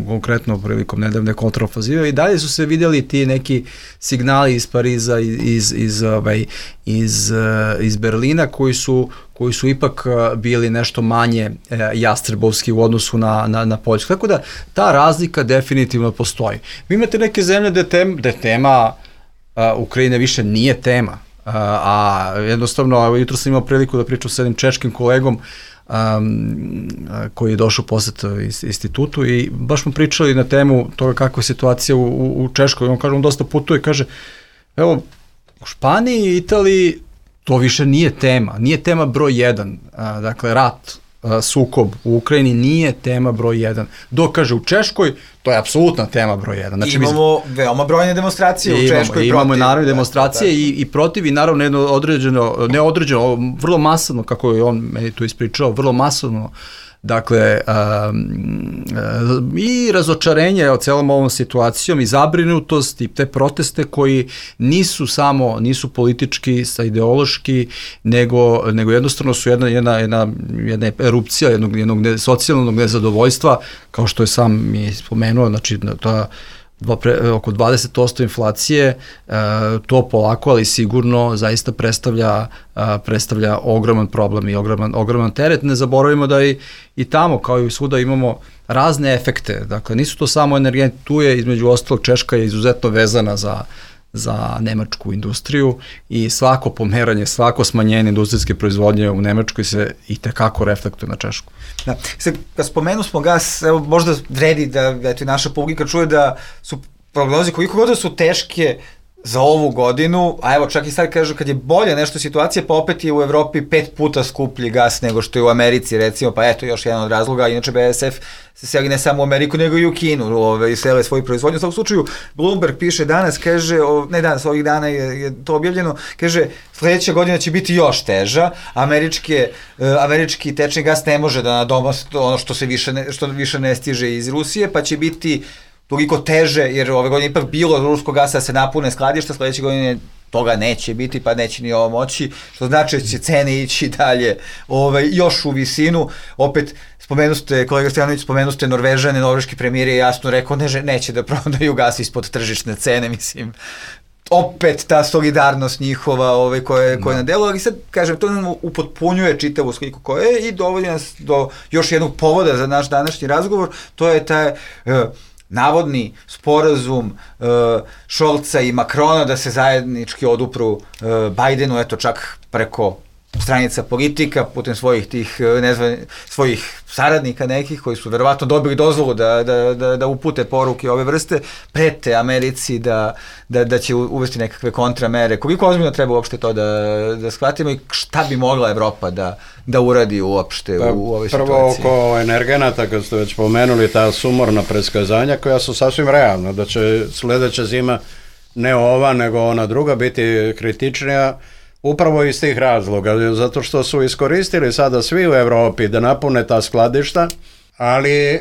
konkretno prilikom nedavne kontraofanzive, i dalje su se vidjeli ti neki signali iz Pariza, iz Berlina koji su ipak bili nešto manje jastrebovski u odnosu na Poljsku. Tako da ta razlika definitivno postoji. Vi imate neke zemlje gde tema Ukrajine više nije tema, a jednostavno, jutro sam imao priliku da pričam sa jednim češkim kolegom koji je došao posjet institutu i baš smo pričali na temu toga kakva je situacija u Češkoj. On kaže, on dosta putuje, kaže, evo, u Španiji i Italiji to više nije tema broj 1, dakle rat, sukob u Ukrajini nije tema broj 1, dok kaže u Češkoj to je apsolutna tema broj 1. Znači, imamo veoma brojne demonstracije u Češkoj protiv. Imamo naravno demonstracije i protiv i naravno jedno neodređeno, vrlo masovno, kako je on meni tu ispričao, vrlo masovno, dakle, i razočarenje o celom ovom situacijom i zabrinutost i te proteste koji nisu politički, ideološki, nego jednostavno su jedna erupcija jednog socijalnog nezadovoljstva, kao što je sam mi spomenuo, znači oko 20% inflacije, to polako, ali sigurno zaista predstavlja ogroman problem i ogroman teret. Ne zaboravimo da i tamo, kao i svuda, imamo razne efekte. Dakle, nisu to samo energenti, tu je između ostalog Češka je izuzetno vezana za nemačku industriju i svako pomeranje, svako smanjenje industrijske proizvodnje u Nemačkoj se i tekako reflektuje na Češku. Da. Sad, kad spomenu smo gas, evo, možda vredi da eto, naša publika čuje da su prognoze koliko god da su teške za ovu godinu, a evo čak i sad kažu kad je bolja nešto situacija, pa opet je u Evropi 5 puta skuplji gas nego što je u Americi, recimo, pa eto još jedan od razloga, inače BASF se seli ne samo u Ameriku nego i u Kinu, i sele svoju proizvodnju. U svakom slučaju, Bloomberg piše danas, kaže, ne danas, ovih dana je to objavljeno, kaže, sledeća godina će biti još teža, američki tečni gas ne može da nadomosti ono što više ne stiže iz Rusije, pa će biti toliko teže, jer ove godine ipak bilo ruskog gasa da se napune skladišta, sledeće godine toga neće biti, pa neće ni ovo moći, što znači da će cene ići dalje još u visinu. Opet, kolega Stojanović, spomenuste Norvežane, norveški premijer je jasno rekao, neće da prodaju gas ispod tržišne cene, mislim, opet ta solidarnost njihova koja je na delu, ali sad, kažem, to nam upotpunjuje čitavu sliku koja je i dovodi nas do još jednog povoda za naš današnji razgovor, to je taj navodni sporazum Scholza i Macrona da se zajednički odupru Bajdenu, eto čak preko stranica politika, putem svojih saradnika nekih koji su verovatno dobili dozvolu da upute poruke ove vrste, prete Americi da će uvesti nekakve kontramere. Koliko ozbiljno treba uopšte to da shvatimo i šta bi mogla Evropa da uradi uopšte u ovoj situaciji? Prvo oko energenata, kad ste već pomenuli, ta sumorna predskazanja koja su sasvim realna, da će sledeća zima ne ova nego ona druga biti kritičnija, upravo iz tih razloga, zato što su iskoristili sada svi u Evropi da napune ta skladišta, ali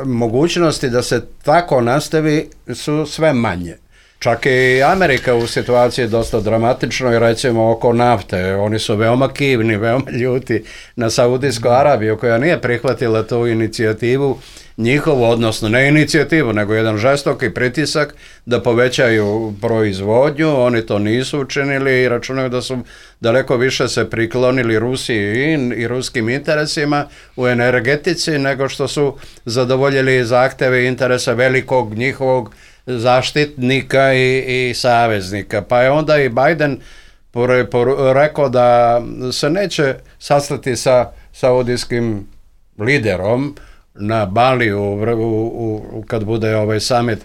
mogućnosti da se tako nastavi su sve manje. Čak i Amerika u situaciji je dosta dramatično i recimo oko nafte. Oni su veoma kivni, veoma ljuti na Saudijsku Arabiju koja nije prihvatila tu inicijativu njihovu, odnosno ne inicijativu, nego jedan žestoki pritisak da povećaju proizvodnju. Oni to nisu učinili i računaju da su daleko više se priklonili Rusiji i ruskim interesima u energetici nego što su zadovoljili zahteve i interesa velikog njihovog zaštitnika i saveznika. Pa je onda i Biden rekao da se neće sastati sa saudijskim liderom na Baliju kad bude ovaj summit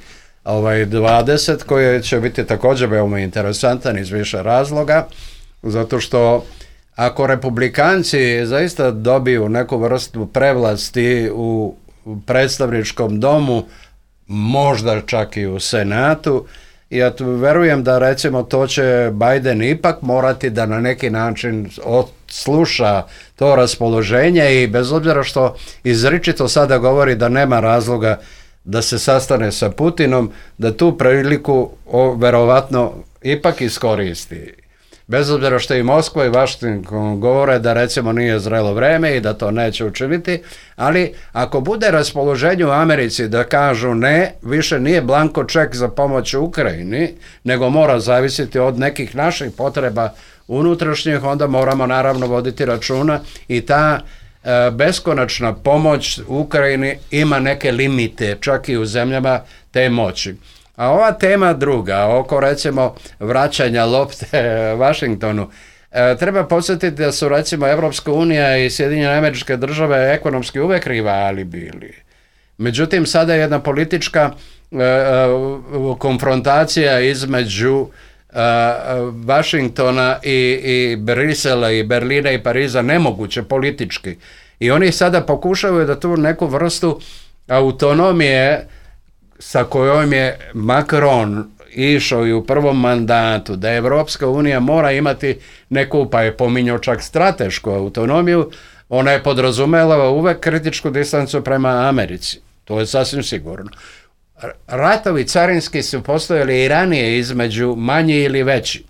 20 koji će biti također veoma interesantan iz više razloga, zato što ako republikanci zaista dobiju neku vrstu prevlasti u predstavničkom domu, možda čak i u Senatu, ja verujem da recimo to će Biden ipak morati da na neki način sluša to raspoloženje i bez obzira što izričito sada govori da nema razloga da se sastane sa Putinom, da tu priliku verovatno ipak iskoristi. Bez obzira što i Moskva i Washington govore da recimo nije zrelo vreme i da to neće učiniti, ali ako bude raspoloženje u Americi da kažu ne, više nije blanko ček za pomoć Ukrajini, nego mora zavisiti od nekih naših potreba unutrašnjih, onda moramo naravno voditi računa i ta beskonačna pomoć Ukrajini ima neke limite, čak i u zemljama te moći. A ova tema druga, oko recimo vraćanja lopte Washingtonu, treba podsjetiti da su recimo Evropska unija i Sjedinjene Američke Države ekonomski uvek rivali bili. Međutim, sada je jedna politička konfrontacija između Washingtona i Brisela i Berlina i Pariza nemoguće politički. I oni sada pokušavaju da tu neku vrstu autonomije sa kojom je Macron išao i u prvom mandatu, da Evropska unija mora imati neku, pa je pominjao čak stratešku autonomiju, ona je podrazumela uvek kritičku distancu prema Americi. To je sasvim sigurno. Ratovi carinski su postojali i ranije između manji ili veći.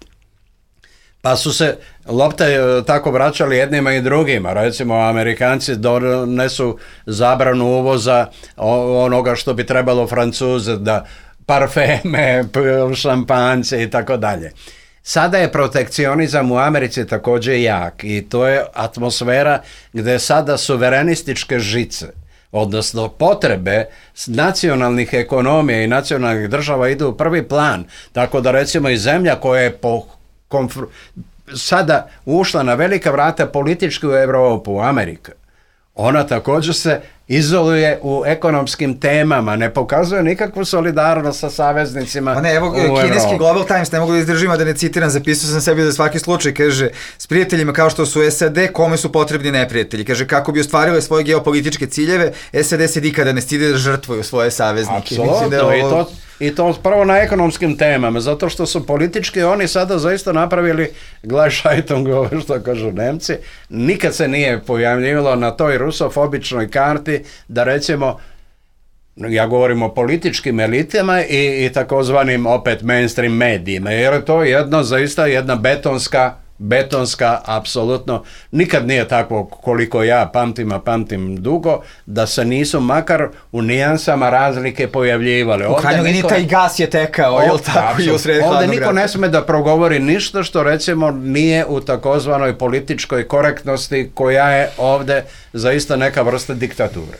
Pa su se lopte tako vraćali jednima i drugima. Recimo, Amerikanci donesu zabranu uvoza onoga što bi trebalo Francuze, da parfeme, šampance i tako dalje. Sada je protekcionizam u Americi također jak i to je atmosfera gde sada suverenističke žice odnosno potrebe nacionalnih ekonomija i nacionalnih država idu u prvi plan. Tako da recimo i zemlja koja je sada ušla na velika vrata politički u Europu, u Ameriku, ona također se izoluje u ekonomskim temama, ne pokazuje nikakvu solidarnost sa saveznicima. Evo, kineski Global Times, ne mogu da izdržim, a da ne citiram, zapisao sam sebi za svaki slučaj, kaže, s prijateljima kao što su SAD, kome su potrebni neprijatelji? Kaže, kako bi ostvarile svoje geopolitičke ciljeve, SAD se nikada ne stide da žrtvuju svoje saveznike. Apsolutno, i to prvo na ekonomskim temama, zato što su politički oni sada zaista napravili Gleichschaltung, što kažu Nemci, nikad se nije pojavljivalo na toj rusofobičnoj karti da recimo, ja govorim o političkim elitama i takozvanim opet mainstream medijima, jer je to zaista jedna betonska, apsolutno, nikad nije tako koliko ja pamtim dugo, da se nisu makar u nijansama razlike pojavljivali. U krajnjoj liniji taj gas je tekao, je li tako? Ovdje niko ne sme da progovori ništa što recimo nije u takozvanoj političkoj korektnosti koja je ovdje zaista neka vrsta diktature.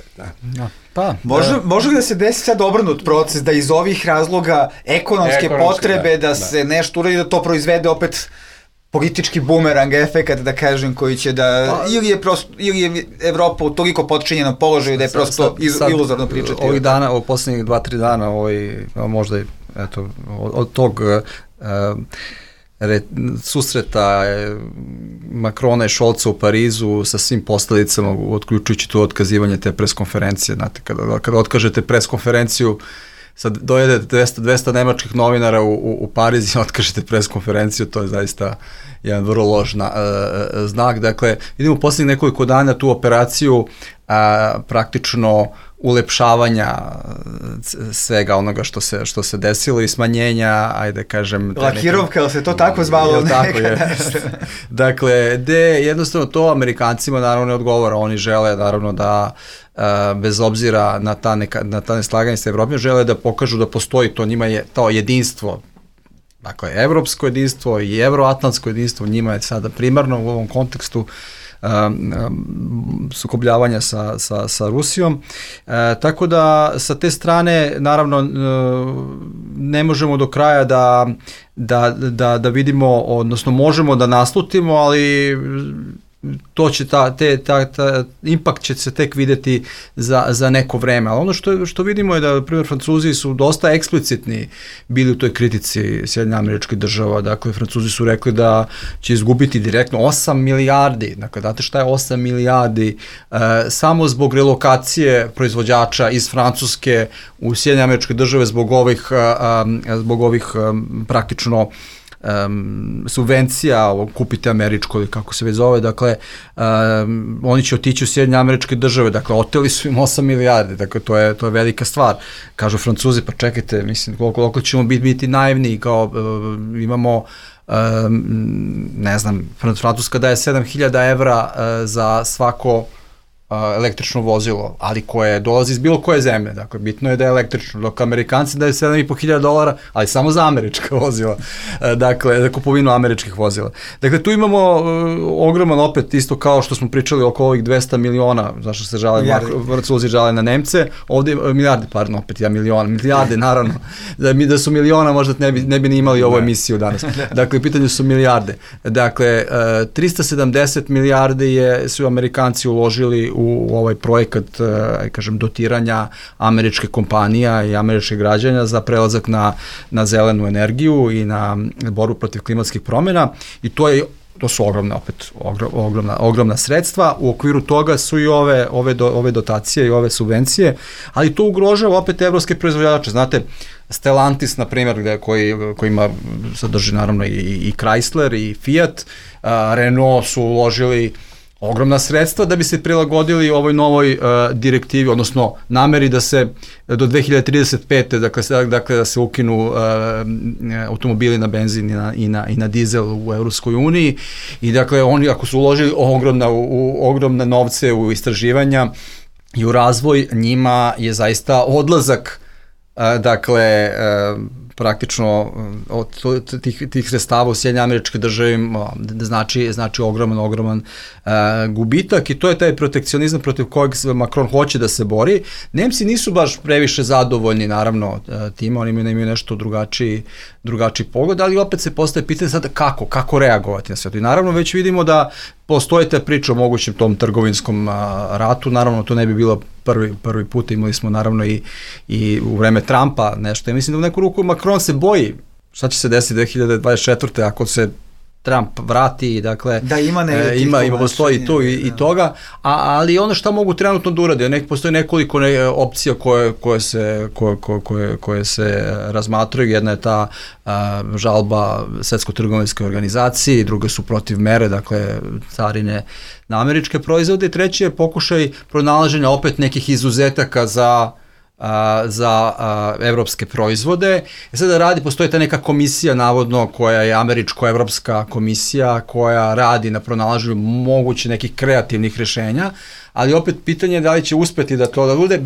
Da. Može li da se desi sad obrnut proces, da iz ovih razloga ekonomske potrebe da se nešto uradi, da to proizvede opet politički bumerang efekat, da kažem, koji će da, ili je Evropa u toliko potčinjenom položaju da je prosto iluzorno pričati. Ovih dana, u posljednjih 2-3 dana, možda od tog susreta Makrona i Šolca u Parizu sa svim posledicama, otključujući to otkazivanje te preskonferencije. Znate, kada otkažete preskonferenciju, sad dojedete 200 nemačkih novinara u Pariz i otkažete preskonferenciju, to je zaista jedan vrlo loš znak. Dakle, vidimo posljednjih nekoliko dana tu operaciju praktično ulepšavanja svega onoga što se desilo i smanjenja, ajde kažem... Lakirovka, ali se to tako zvalo nekada? Dakle, jednostavno to Amerikancima naravno ne odgovara, oni žele naravno da bez obzira na ta neslaganje sa Evropom, žele da pokažu da postoji to, njima je to jedinstvo, dakle, evropsko jedinstvo i evroatlantsko jedinstvo, njima je sada primarno u ovom kontekstu sukobljavanja sa Rusijom. Tako da sa te strane naravno ne možemo do kraja da vidimo, odnosno možemo da naslutimo, ali to će impact će se tek videti za neko vreme. Ali ono što vidimo je da, na primjer, Francuzi su dosta eksplicitni bili u toj kritici Sjedinjenih Američkih Država. Dakle, Francuzi su rekli da će izgubiti direktno 8 milijardi. Dakle, znate šta je 8 milijardi samo zbog relokacije proizvođača iz Francuske u Sjedinjene Američke Države zbog ovih praktično subvencija, kupite američko ili kako se već zove, dakle, oni će otići u Sjedinjene Američke Države, dakle, oteli su im 8 milijardi, dakle, to je velika stvar. Kažu Francuzi, pa čekajte, mislim, koliko ćemo biti naivni, kao imamo, ne znam, Francuska daje 7.000 evra za svako električno vozilo, ali koje dolazi iz bilo koje zemlje, dakle, bitno je da je električno, dok Amerikanci daju $7.500, ali samo za američka vozila, dakle, za kupovinu američkih vozila. Dakle, tu imamo ogroman, opet, isto kao što smo pričali oko ovih 200 miliona, zašto se Francuzi žale na Nemce, ovdje milijarde, pardon, opet ja milijarde, naravno, da su miliona, možda ne bi ni imali ovu emisiju danas. Dakle, u pitanju su milijarde. Dakle, 370 milijardi su Amerikanci uložili u ovaj projekat, kažem, dotiranja američke kompanija i američkih građana za prelazak na zelenu energiju i na borbu protiv klimatskih promjena, i to su ogromna sredstva. U okviru toga su i ove dotacije i ove subvencije, ali to ugrožava opet evropske proizvođače. Znate, Stellantis, na primjer, koji sadrži naravno i Chrysler i Fiat, Renault su uložili ogromna sredstva da bi se prilagodili ovoj novoj direktivi, odnosno nameri da se do 2035. Dakle da se ukinu automobili na benzin i na dizel u Evropskoj uniji, i dakle oni, ako su uložili ogromne novce u istraživanja i u razvoj, njima je zaista odlazak, dakle, praktično od tih sredstava u Sjedinjenim Američkim Državama znači ogroman gubitak i to je taj protekcionizam protiv kojeg Macron hoće da se bori. Nemci nisu baš previše zadovoljni naravno tim, oni imaju nešto drugačiji pogled, ali opet se postaje pitanje sada kako reagovati na sve to. I naravno već vidimo da postoji ta priča o mogućem tom trgovinskom ratu, naravno to ne bi bilo prvi put, imali smo naravno i u vreme Trumpa nešto. Ja mislim da u neku ruku Macron se boji šta će se desiti 2024. ako se Trump vrati, dakle, da ima postoji to i toga, ali ono šta mogu trenutno da urade, postoji nekoliko opcija koje se razmatraju, jedna je ta žalba Svetskoj trgovinskoj organizaciji, druge su protiv mere, dakle, carine na američke proizvode, i treći je pokušaj pronalaženja opet nekih izuzetaka za evropske proizvode. Sada postoji ta neka komisija navodno koja je američko-evropska komisija koja radi na pronalaženju moguće nekih kreativnih rešenja, ali opet pitanje je da li će uspeti da to da bude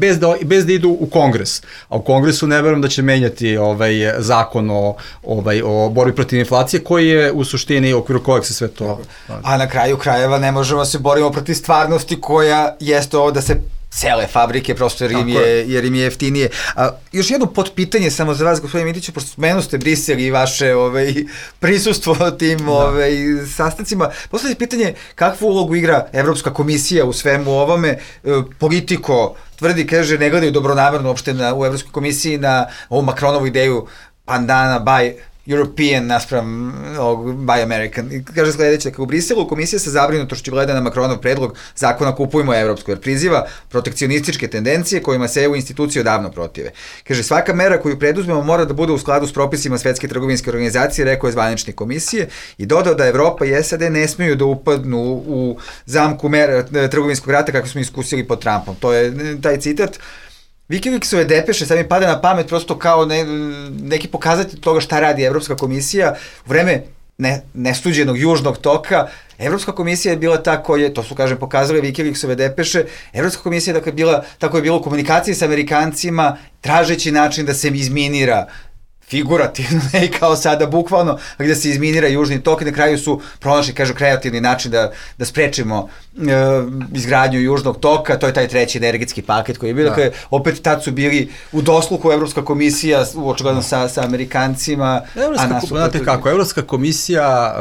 bez da idu u Kongres. A u Kongresu ne verujem da će menjati zakon o borbi protiv inflacije koji je u suštini u okviru kojeg se sve to... A na kraju krajeva ne možemo se borimo protiv stvarnosti koja jeste ovo da se cele fabrike, prosto jer im je jeftinije. Još jedno potpitanje samo za vas, gospodine Mitiću, pošto spomenuo ste Brisel i vaše prisustvo tim sastancima. Postavljate pitanje kakvu ulogu igra Evropska komisija u svemu ovome. Politiko tvrdi, kaže, ne gledaju dobronamerno uopšte u Evropskoj komisiji na ovu Macronovu ideju pandana by European naspram by American. I kaže sledeće, kako u Briselu komisija sa zabrinutošću gleda na Macronov predlog zakona Kupujmo evropsko, jer priziva protekcionističke tendencije kojima se EU institucije odavno protive. Kaže, svaka mera koju preduzmemo mora da bude u skladu s propisima Svetske trgovinske organizacije, rekao je zvaničnik komisije, i dodao da Evropa i SAD ne smeju da upadnu u zamku mera trgovinskog rata kako smo iskusili pod Trumpom. To je taj citat. Wikileaksove depeše, sad mi pada na pamet prosto kao neki pokazatelj toga šta radi Evropska komisija. U vreme nesuđenog južnog toka, Evropska komisija je bila ta koja, to su kažem pokazali Wikileaksove depeše, Evropska komisija dakle bila tako je bilo u komunikaciji sa Amerikancima, tražeći način da se izminira figurativno, ne kao sada bukvalno, gde se izminira južni tok i na kraju su pronašli, kažu, kreativni način da sprečimo izgradnju južnog toka, to je taj treći energetski paket koji je bio, dakle, opet tad su bili u dosluhu Evropska komisija, očigledno sa Amerikancima. Znate kako, Evropska komisija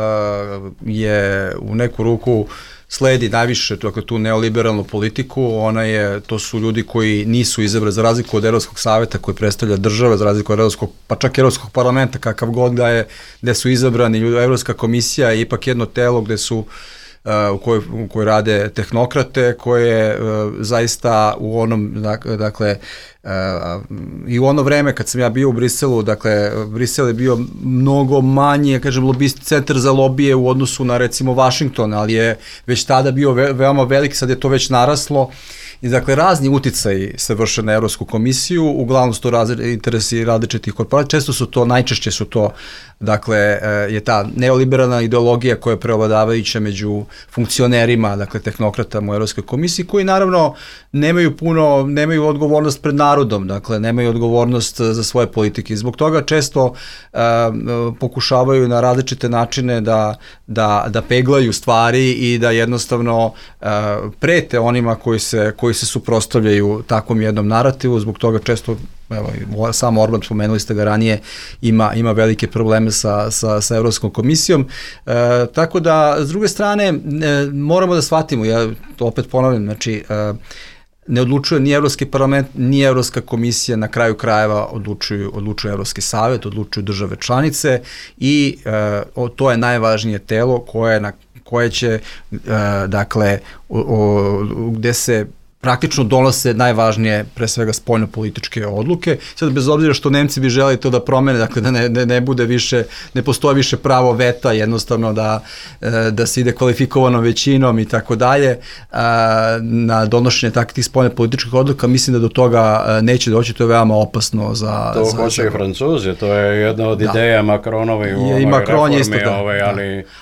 je u neku ruku sledi najviše tu neoliberalnu politiku, to su ljudi koji nisu izabrani, za razliku od Evropskog saveta koji predstavlja države, za razliku od pa čak Evropskog parlamenta, kakav god da je, gde su izabrani ljudi. Evropska komisija je ipak jedno telo gde su u kojoj rade tehnokrate, koje zaista u onom, dakle, i u ono vreme kad sam ja bio u Briselu, dakle, Brisel je bio mnogo manji, kažem, centar za lobije u odnosu na, recimo, Washington, ali je već tada bio veoma velik, sad je to već naraslo. I dakle, razni uticaji se vrše na Evropsku komisiju, uglavnom su to interesi različitih korporacija, najčešće su to, dakle, je ta neoliberalna ideologija koja je preovladavajuća među funkcionerima, dakle, tehnokratama u Evropskoj komisiji, koji naravno nemaju odgovornost pred narodom, dakle, nemaju odgovornost za svoje politike. I zbog toga često pokušavaju na različite načine da peglaju stvari i da jednostavno prete onima koji se suprotstavljaju takvom jednom narativu, zbog toga često, evo, sam Orban, spomenuli ste ga ranije, ima velike probleme sa Evropskom komisijom, tako da, s druge strane, moramo da shvatimo, ja to opet ponavljam, znači, ne odlučuje ni Evropski parlament, ni Evropska komisija, na kraju krajeva odlučuje Evropski savet, odlučuju države članice i to je najvažnije telo koje će, dakle, gde se praktično donose najvažnije, pre svega, spoljno-političke odluke. Sad, bez obzira što Nemci bi želeli to da promene, dakle, da ne bude više, ne postoje više pravo veta, jednostavno da se ide kvalifikovanom većinom i tako dalje, na donošenje takvih spoljno-političkih odluka, mislim da do toga neće doći, to je veoma opasno za... To hoće i Francuzi, to je jedna od ideja Macronovi u ovoj reformi,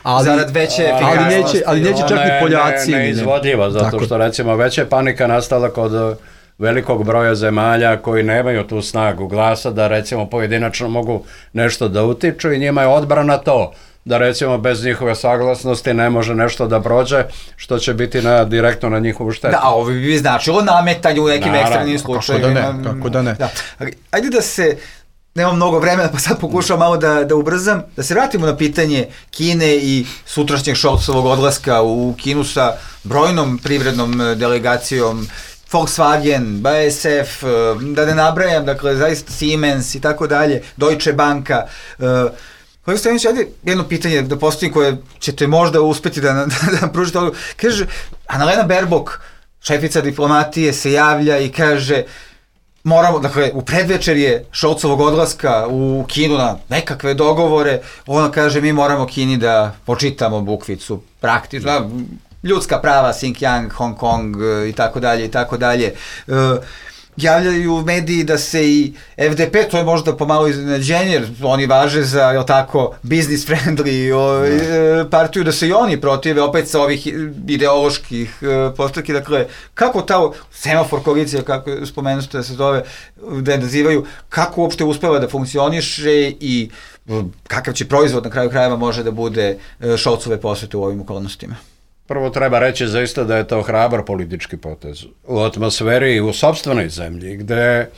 ali... Zarad veće efikasnosti. Ali neće čak ni Poljaci. Neizvodljiva, zato što, recimo, veća panika nastala kod velikog broja zemalja koji nemaju tu snagu glasa da recimo pojedinačno mogu nešto da utiču i njima je odbrana to da recimo bez njihove saglasnosti ne može nešto da prođe, što će biti direktno na njihovu štetu. Da, ovo bi značilo nametanje u nekim ekstremnim slučajevima. Kako da ne. Da. Ajde da se, nemam mnogo vremena pa sad pokušam malo da ubrzam, da se vratimo na pitanje Kine i sutrašnjeg Scholzovog odlaska u Kinu sa brojnom privrednom delegacijom, Volkswagen, BASF, da ne nabrajam, dakle, zaista Siemens i tako dalje, Deutsche Banka. Kolega Stojanović, ajde jedno pitanje da postavim koje ćete možda uspeti da nam pružite odgovor. Kaže, Annalena Baerbock, šefica diplomatije, se javlja i kaže, moramo, dakle, u predvečerje Scholzovog odlaska u Kinu na nekakve dogovore, ona kaže, mi moramo Kini da počitamo bukvicu, praktično, ljudska prava, Xinjiang, Hong Kong i tako dalje i tako dalje. Javljaju mediji da se i FDP, to je možda pomalo iznenađenje, jer oni važe za, jel tako, business friendly partiju, da se i oni protive opet sa ovih ideoloških postavki. Dakle, kako ta semafor koalicija, kako spomenuste da se zove, da je nazivaju, kako uopšte uspeva da funkcioniše i kakav će proizvod na kraju krajeva može da bude Scholzove posete u ovim okolnostima? Prvo treba reći zaista da je to hrabar politički potez u atmosferi u sopstvenoj zemlji, gde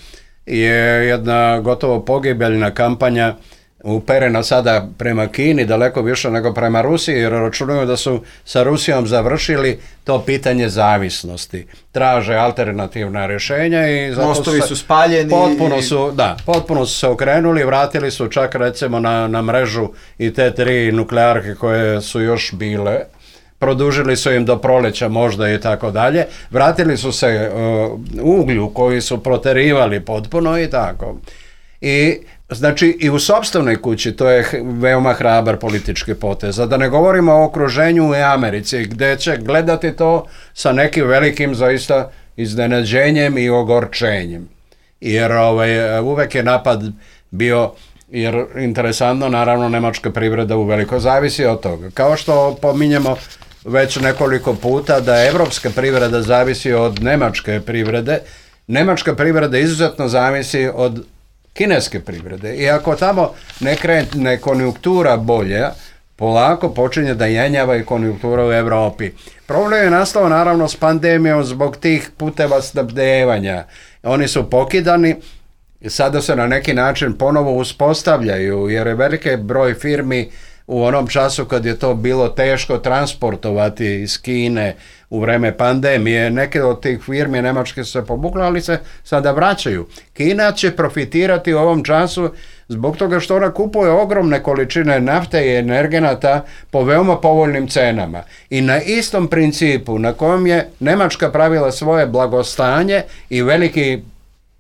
je jedna gotovo pogibeljna kampanja uperena sada prema Kini, daleko više nego prema Rusiji, jer računaju da su sa Rusijom završili to pitanje zavisnosti. Traže alternativna rješenja i zato mostovi su spaljeni. Potpuno su se okrenuli, vratili su čak recimo na mrežu i te 3 nuklearke koje su još bile. Produžili su im do proleća možda i tako dalje, vratili su se uglju koji su proterivali potpuno i tako. I znači i u sopstvenoj kući to je veoma hrabar politički potez, a da ne govorimo o okruženju u Americi gdje će gledati to sa nekim velikim zaista iznenađenjem i ogorčenjem. Jer uvek je napad bio, jer interesantno, naravno, nemačka privreda uveliko zavisi od toga. Kao što pominjemo već nekoliko puta da evropska privreda zavisi od nemačke privrede, nemačka privreda izuzetno zavisi od kineske privrede. I ako tamo ne krene konjunktura bolja, polako počinje da jenjava i konjunktura u Evropi. Problem je nastao naravno s pandemijom zbog tih puteva snabdevanja. Oni su pokidani, sada se na neki način ponovo uspostavljaju, jer je veliki broj firmi u onom času kad je to bilo teško transportovati iz Kine u vreme pandemije, neke od tih firmi nemačke su se pobukle, ali se sada vraćaju. Kina će profitirati u ovom času zbog toga što ona kupuje ogromne količine nafte i energenata po veoma povoljnim cenama. I na istom principu na kojem je Nemačka pravila svoje blagostanje i veliki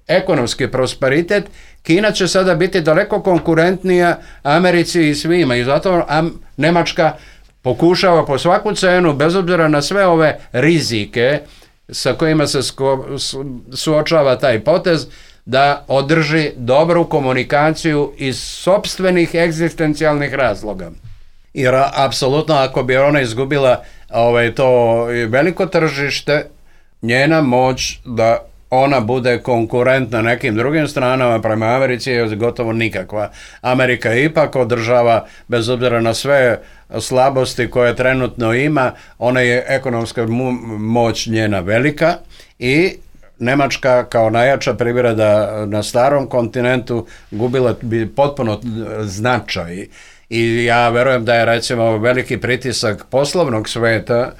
ekonomski prosperitet, Kina će sada biti daleko konkurentnija Americi i svima i zato Nemačka pokušava po svaku cenu, bez obzira na sve ove rizike sa kojima se suočava taj potez, da održi dobru komunikaciju iz sopstvenih egzistencijalnih razloga. Jer apsolutno ako bi ona izgubila to veliko tržište, njena moć da ona bude konkurent na nekim drugim stranama prema Americi je gotovo nikakva. Amerika ipak održava, bez obzira na sve slabosti koje trenutno ima, ona je ekonomska moć njena velika i Nemačka kao najjača privreda na starom kontinentu gubila bi potpuno značaj. I ja verujem da je recimo veliki pritisak poslovnog sveta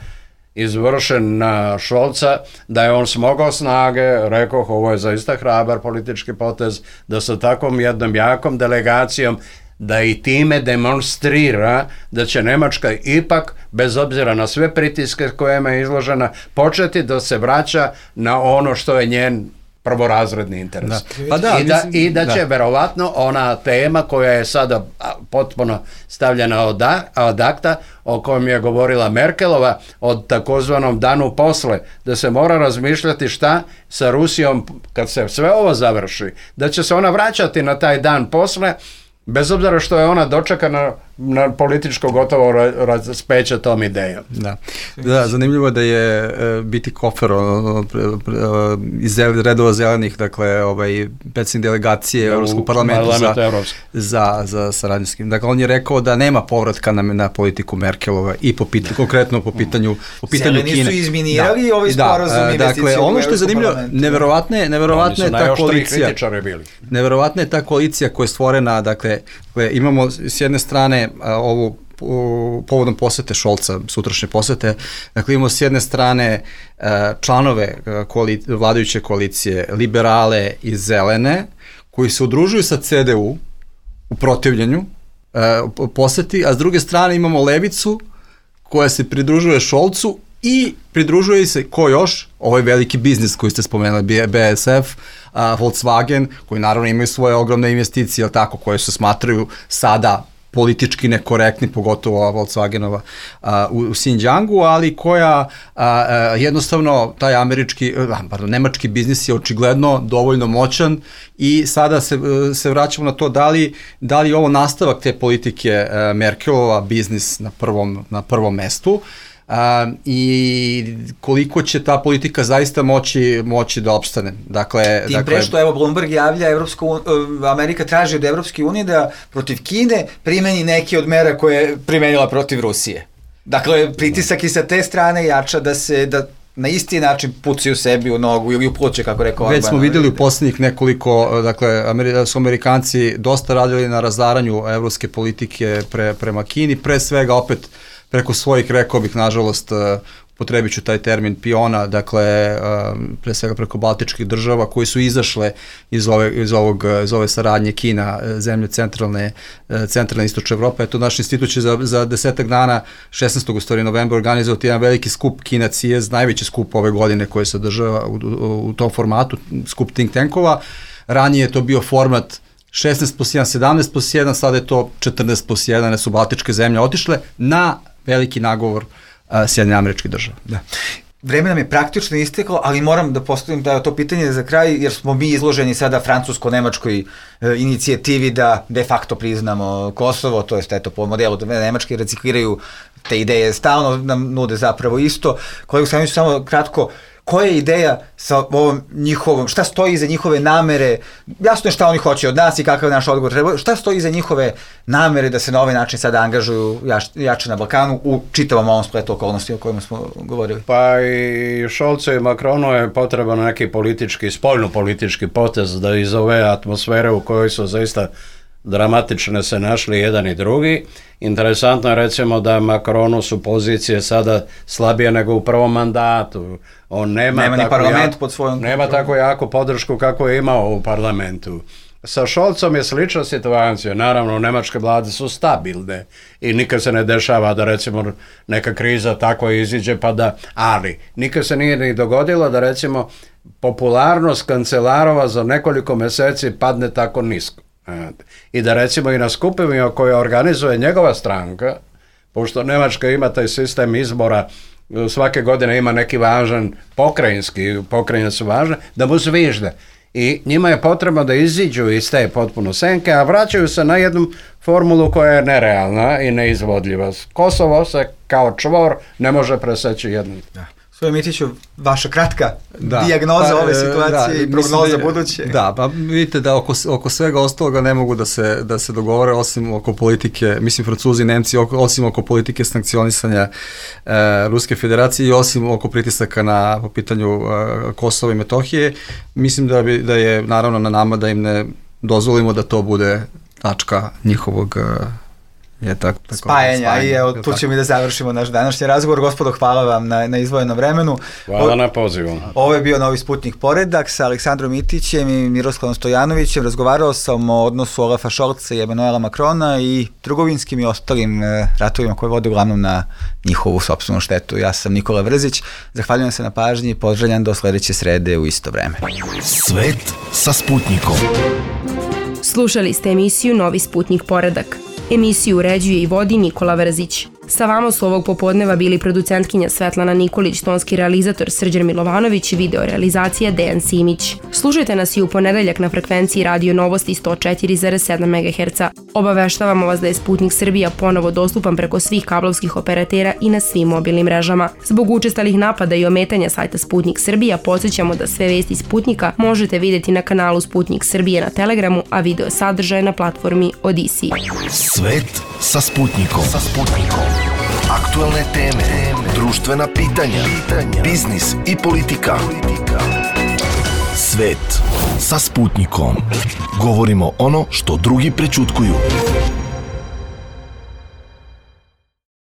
izvršen na Scholza, da je on smogao snage, rekoh, ovo je zaista hrabar politički potez, da sa takvom jednom jakom delegacijom, da i time demonstrira da će Nemačka ipak, bez obzira na sve pritiske kojima je izložena, početi da se vraća na ono što je njen prvorazredni interes. I da će verovatno ona tema koja je sada potpuno stavljena od akta, o kojem je govorila Merkelova, od takozvanom danu posle, da se mora razmišljati šta sa Rusijom kad se sve ovo završi, da će se ona vraćati na taj dan posle, bez obzira što je ona dočekana na političko gotovo raspeće tom idejom. Da, zanimljivo je da je biti Kofer iz redova zelenih, dakle, predsjednik delegacije Evropskog parlamenta za saradnju s kim. Dakle, on je rekao da nema povratka na politiku Merkelova i konkretno po pitanju Kine. Zeleni su izminirali ovaj sporazum investicije. Dakle, ono što je zanimljivo, neverovatna je ta koalicija. Neverovatna je ta koalicija koja je stvorena, dakle, imamo s jedne strane ovu povodom posete Šolca, sutrašnje posete, dakle imamo s jedne strane članove vladajuće koalicije, liberale i zelene, koji se udružuju sa CDU u protivljenju poseti, a s druge strane imamo levicu koja se pridružuje Šolcu i pridružuje se, ko još, ovaj veliki biznis koji ste spomenuli, BASF, Volkswagen, koji naravno imaju svoje ogromne investicije, tako, koje se smatraju sada politički nekorektni, pogotovo Volkswagenova u Xinjiangu, ali koja jednostavno taj nemački biznis je očigledno dovoljno moćan i sada se vraćamo na to da li je ovo nastavak te politike Merkelova, biznis na prvom mestu, i koliko će ta politika zaista moći da opstane. Tim pre što, evo, Bloomberg javlja, Amerika traži od Evropske unije da protiv Kine primeni neke od mera koje je primenila protiv Rusije. Dakle, pritisak i sa te strane jača da na isti način pucaju sebi u nogu ili u pluće, kako rekao Orban. Već smo videli u poslednjih nekoliko, dakle, su Amerikanci dosta radili na razaranju evropske politike prema Kini, pre svega opet preko svojih, rekao bih, nažalost, potrebit ću taj termin, piona, dakle, pre svega preko baltičkih država koji su izašle iz ove saradnje Kina, zemlje centralne istočne Evrope. Eto, naš institut će za 10 dana, 16. novembra, organizovati jedan veliki skup Kina CIES, najveći skup ove godine koji se održava u tom formatu, skup think tankova. Ranije je to bio format 16+1, 17+1, sada je to 14+1, jer su baltičke zemlje otišle na veliki nagovor Sjedinjenih Američkih Država. Da. Vreme nam je praktično isteklo, ali moram da postavim to pitanje za kraj, jer smo mi izloženi sada francusko-nemačkoj inicijativi da de facto priznamo Kosovo, to jest po modelu Nemačke recikliraju te ideje, stalno nam nude zapravo isto. Kolega Samić, samo kratko, koja je ideja sa ovom njihovom, šta stoji iza njihove namere, jasno je šta oni hoće od nas i kakav naš odgovor treba, šta stoji iza njihove namere da se na ovaj način sada angažuju jače na Balkanu u čitavom ovom spletu okolnosti o kojima smo govorili? Pa i Šolcu i Makronu je potreban neki spoljno-politički potez da iz ove atmosfere u kojoj su zaista dramatične se našli jedan i drugi. Interesantno je, recimo, da Makronu su pozicije sada slabije nego u prvom mandatu. On nema ni parlament pod svojom kontrolom. Nema tako jaku podršku kako je imao u parlamentu. Sa Šolcom je slična situacija. Naravno, nemačke vlade su stabilne i nikad se ne dešava da, recimo, neka kriza tako iziđe ali nikad se nije ni dogodilo da, recimo, popularnost kancelarova za nekoliko meseci padne tako nisko. I da, recimo, i na skupima koje organizuje njegova stranka, pošto Nemačka ima taj sistem izbora, svake godine ima neki važan pokrajine su važne, da mu zvižde. I njima je potrebno da iziđu iz te potpuno senke, a vraćaju se na jednu formulu koja je nerealna i neizvodljiva. Kosovo se kao čvor ne može preseći jednom. Gospodin Mitiću, vaša kratka dijagnoza ove situacije i prognoza buduće. Da, pa vidite da oko svega ostaloga ne mogu da se dogovore, osim oko politike, mislim Francuzi i Nemci, osim oko politike sankcionisanja Ruske federacije i osim oko pritisaka po pitanju Kosova i Metohije. Mislim da je naravno na nama da im ne dozvolimo da to bude tačka njihovog spajanja i evo tu ćemo i da završimo naš današnji razgovor. Gospodo, hvala vam na izdvojenom vremenu. Hvala na pozivu. Ovo je bio Novi Sputnik Poredak sa Aleksandrom Mitićem i Miroslavom Stojanovićem. Razgovarao sam o odnosu Olafa Šolca i Emanuela Makrona i trgovinskim i ostalim ratovima koje vode uglavnom na njihovu sopstvenu štetu. Ja sam Nikola Vrzić, zahvaljujem se na pažnji i pozdravljam do sledeće srede u isto vreme. Svet sa Sputnikom. Slušali ste emisiju Novi Sputnik Poredak. Emisiju uređuje i vodi Nikola Vrzić. Sa vama su ovog popodneva bili producentkinja Svetlana Nikolić, tonski realizator Srđan Milovanović i video realizacija Dejan Simić. Slušajte nas i u ponedeljak na frekvenciji Radio Novosti 104,7 MHz. Obaveštavamo vas da je Sputnik Srbija ponovo dostupan preko svih kablovskih operatera i na svim mobilnim mrežama. Zbog učestalih napada i ometanja sajta Sputnik Srbija podsjećamo da sve vesti Sputnika možete vidjeti na kanalu Sputnik Srbije na Telegramu, a video sadržaje na platformi Odisi. Svet sa Sputnikom. Aktualne teme, društvena pitanja, biznis i politika. Svet sa Sputnikom. Govorimo ono što drugi prećutkuju.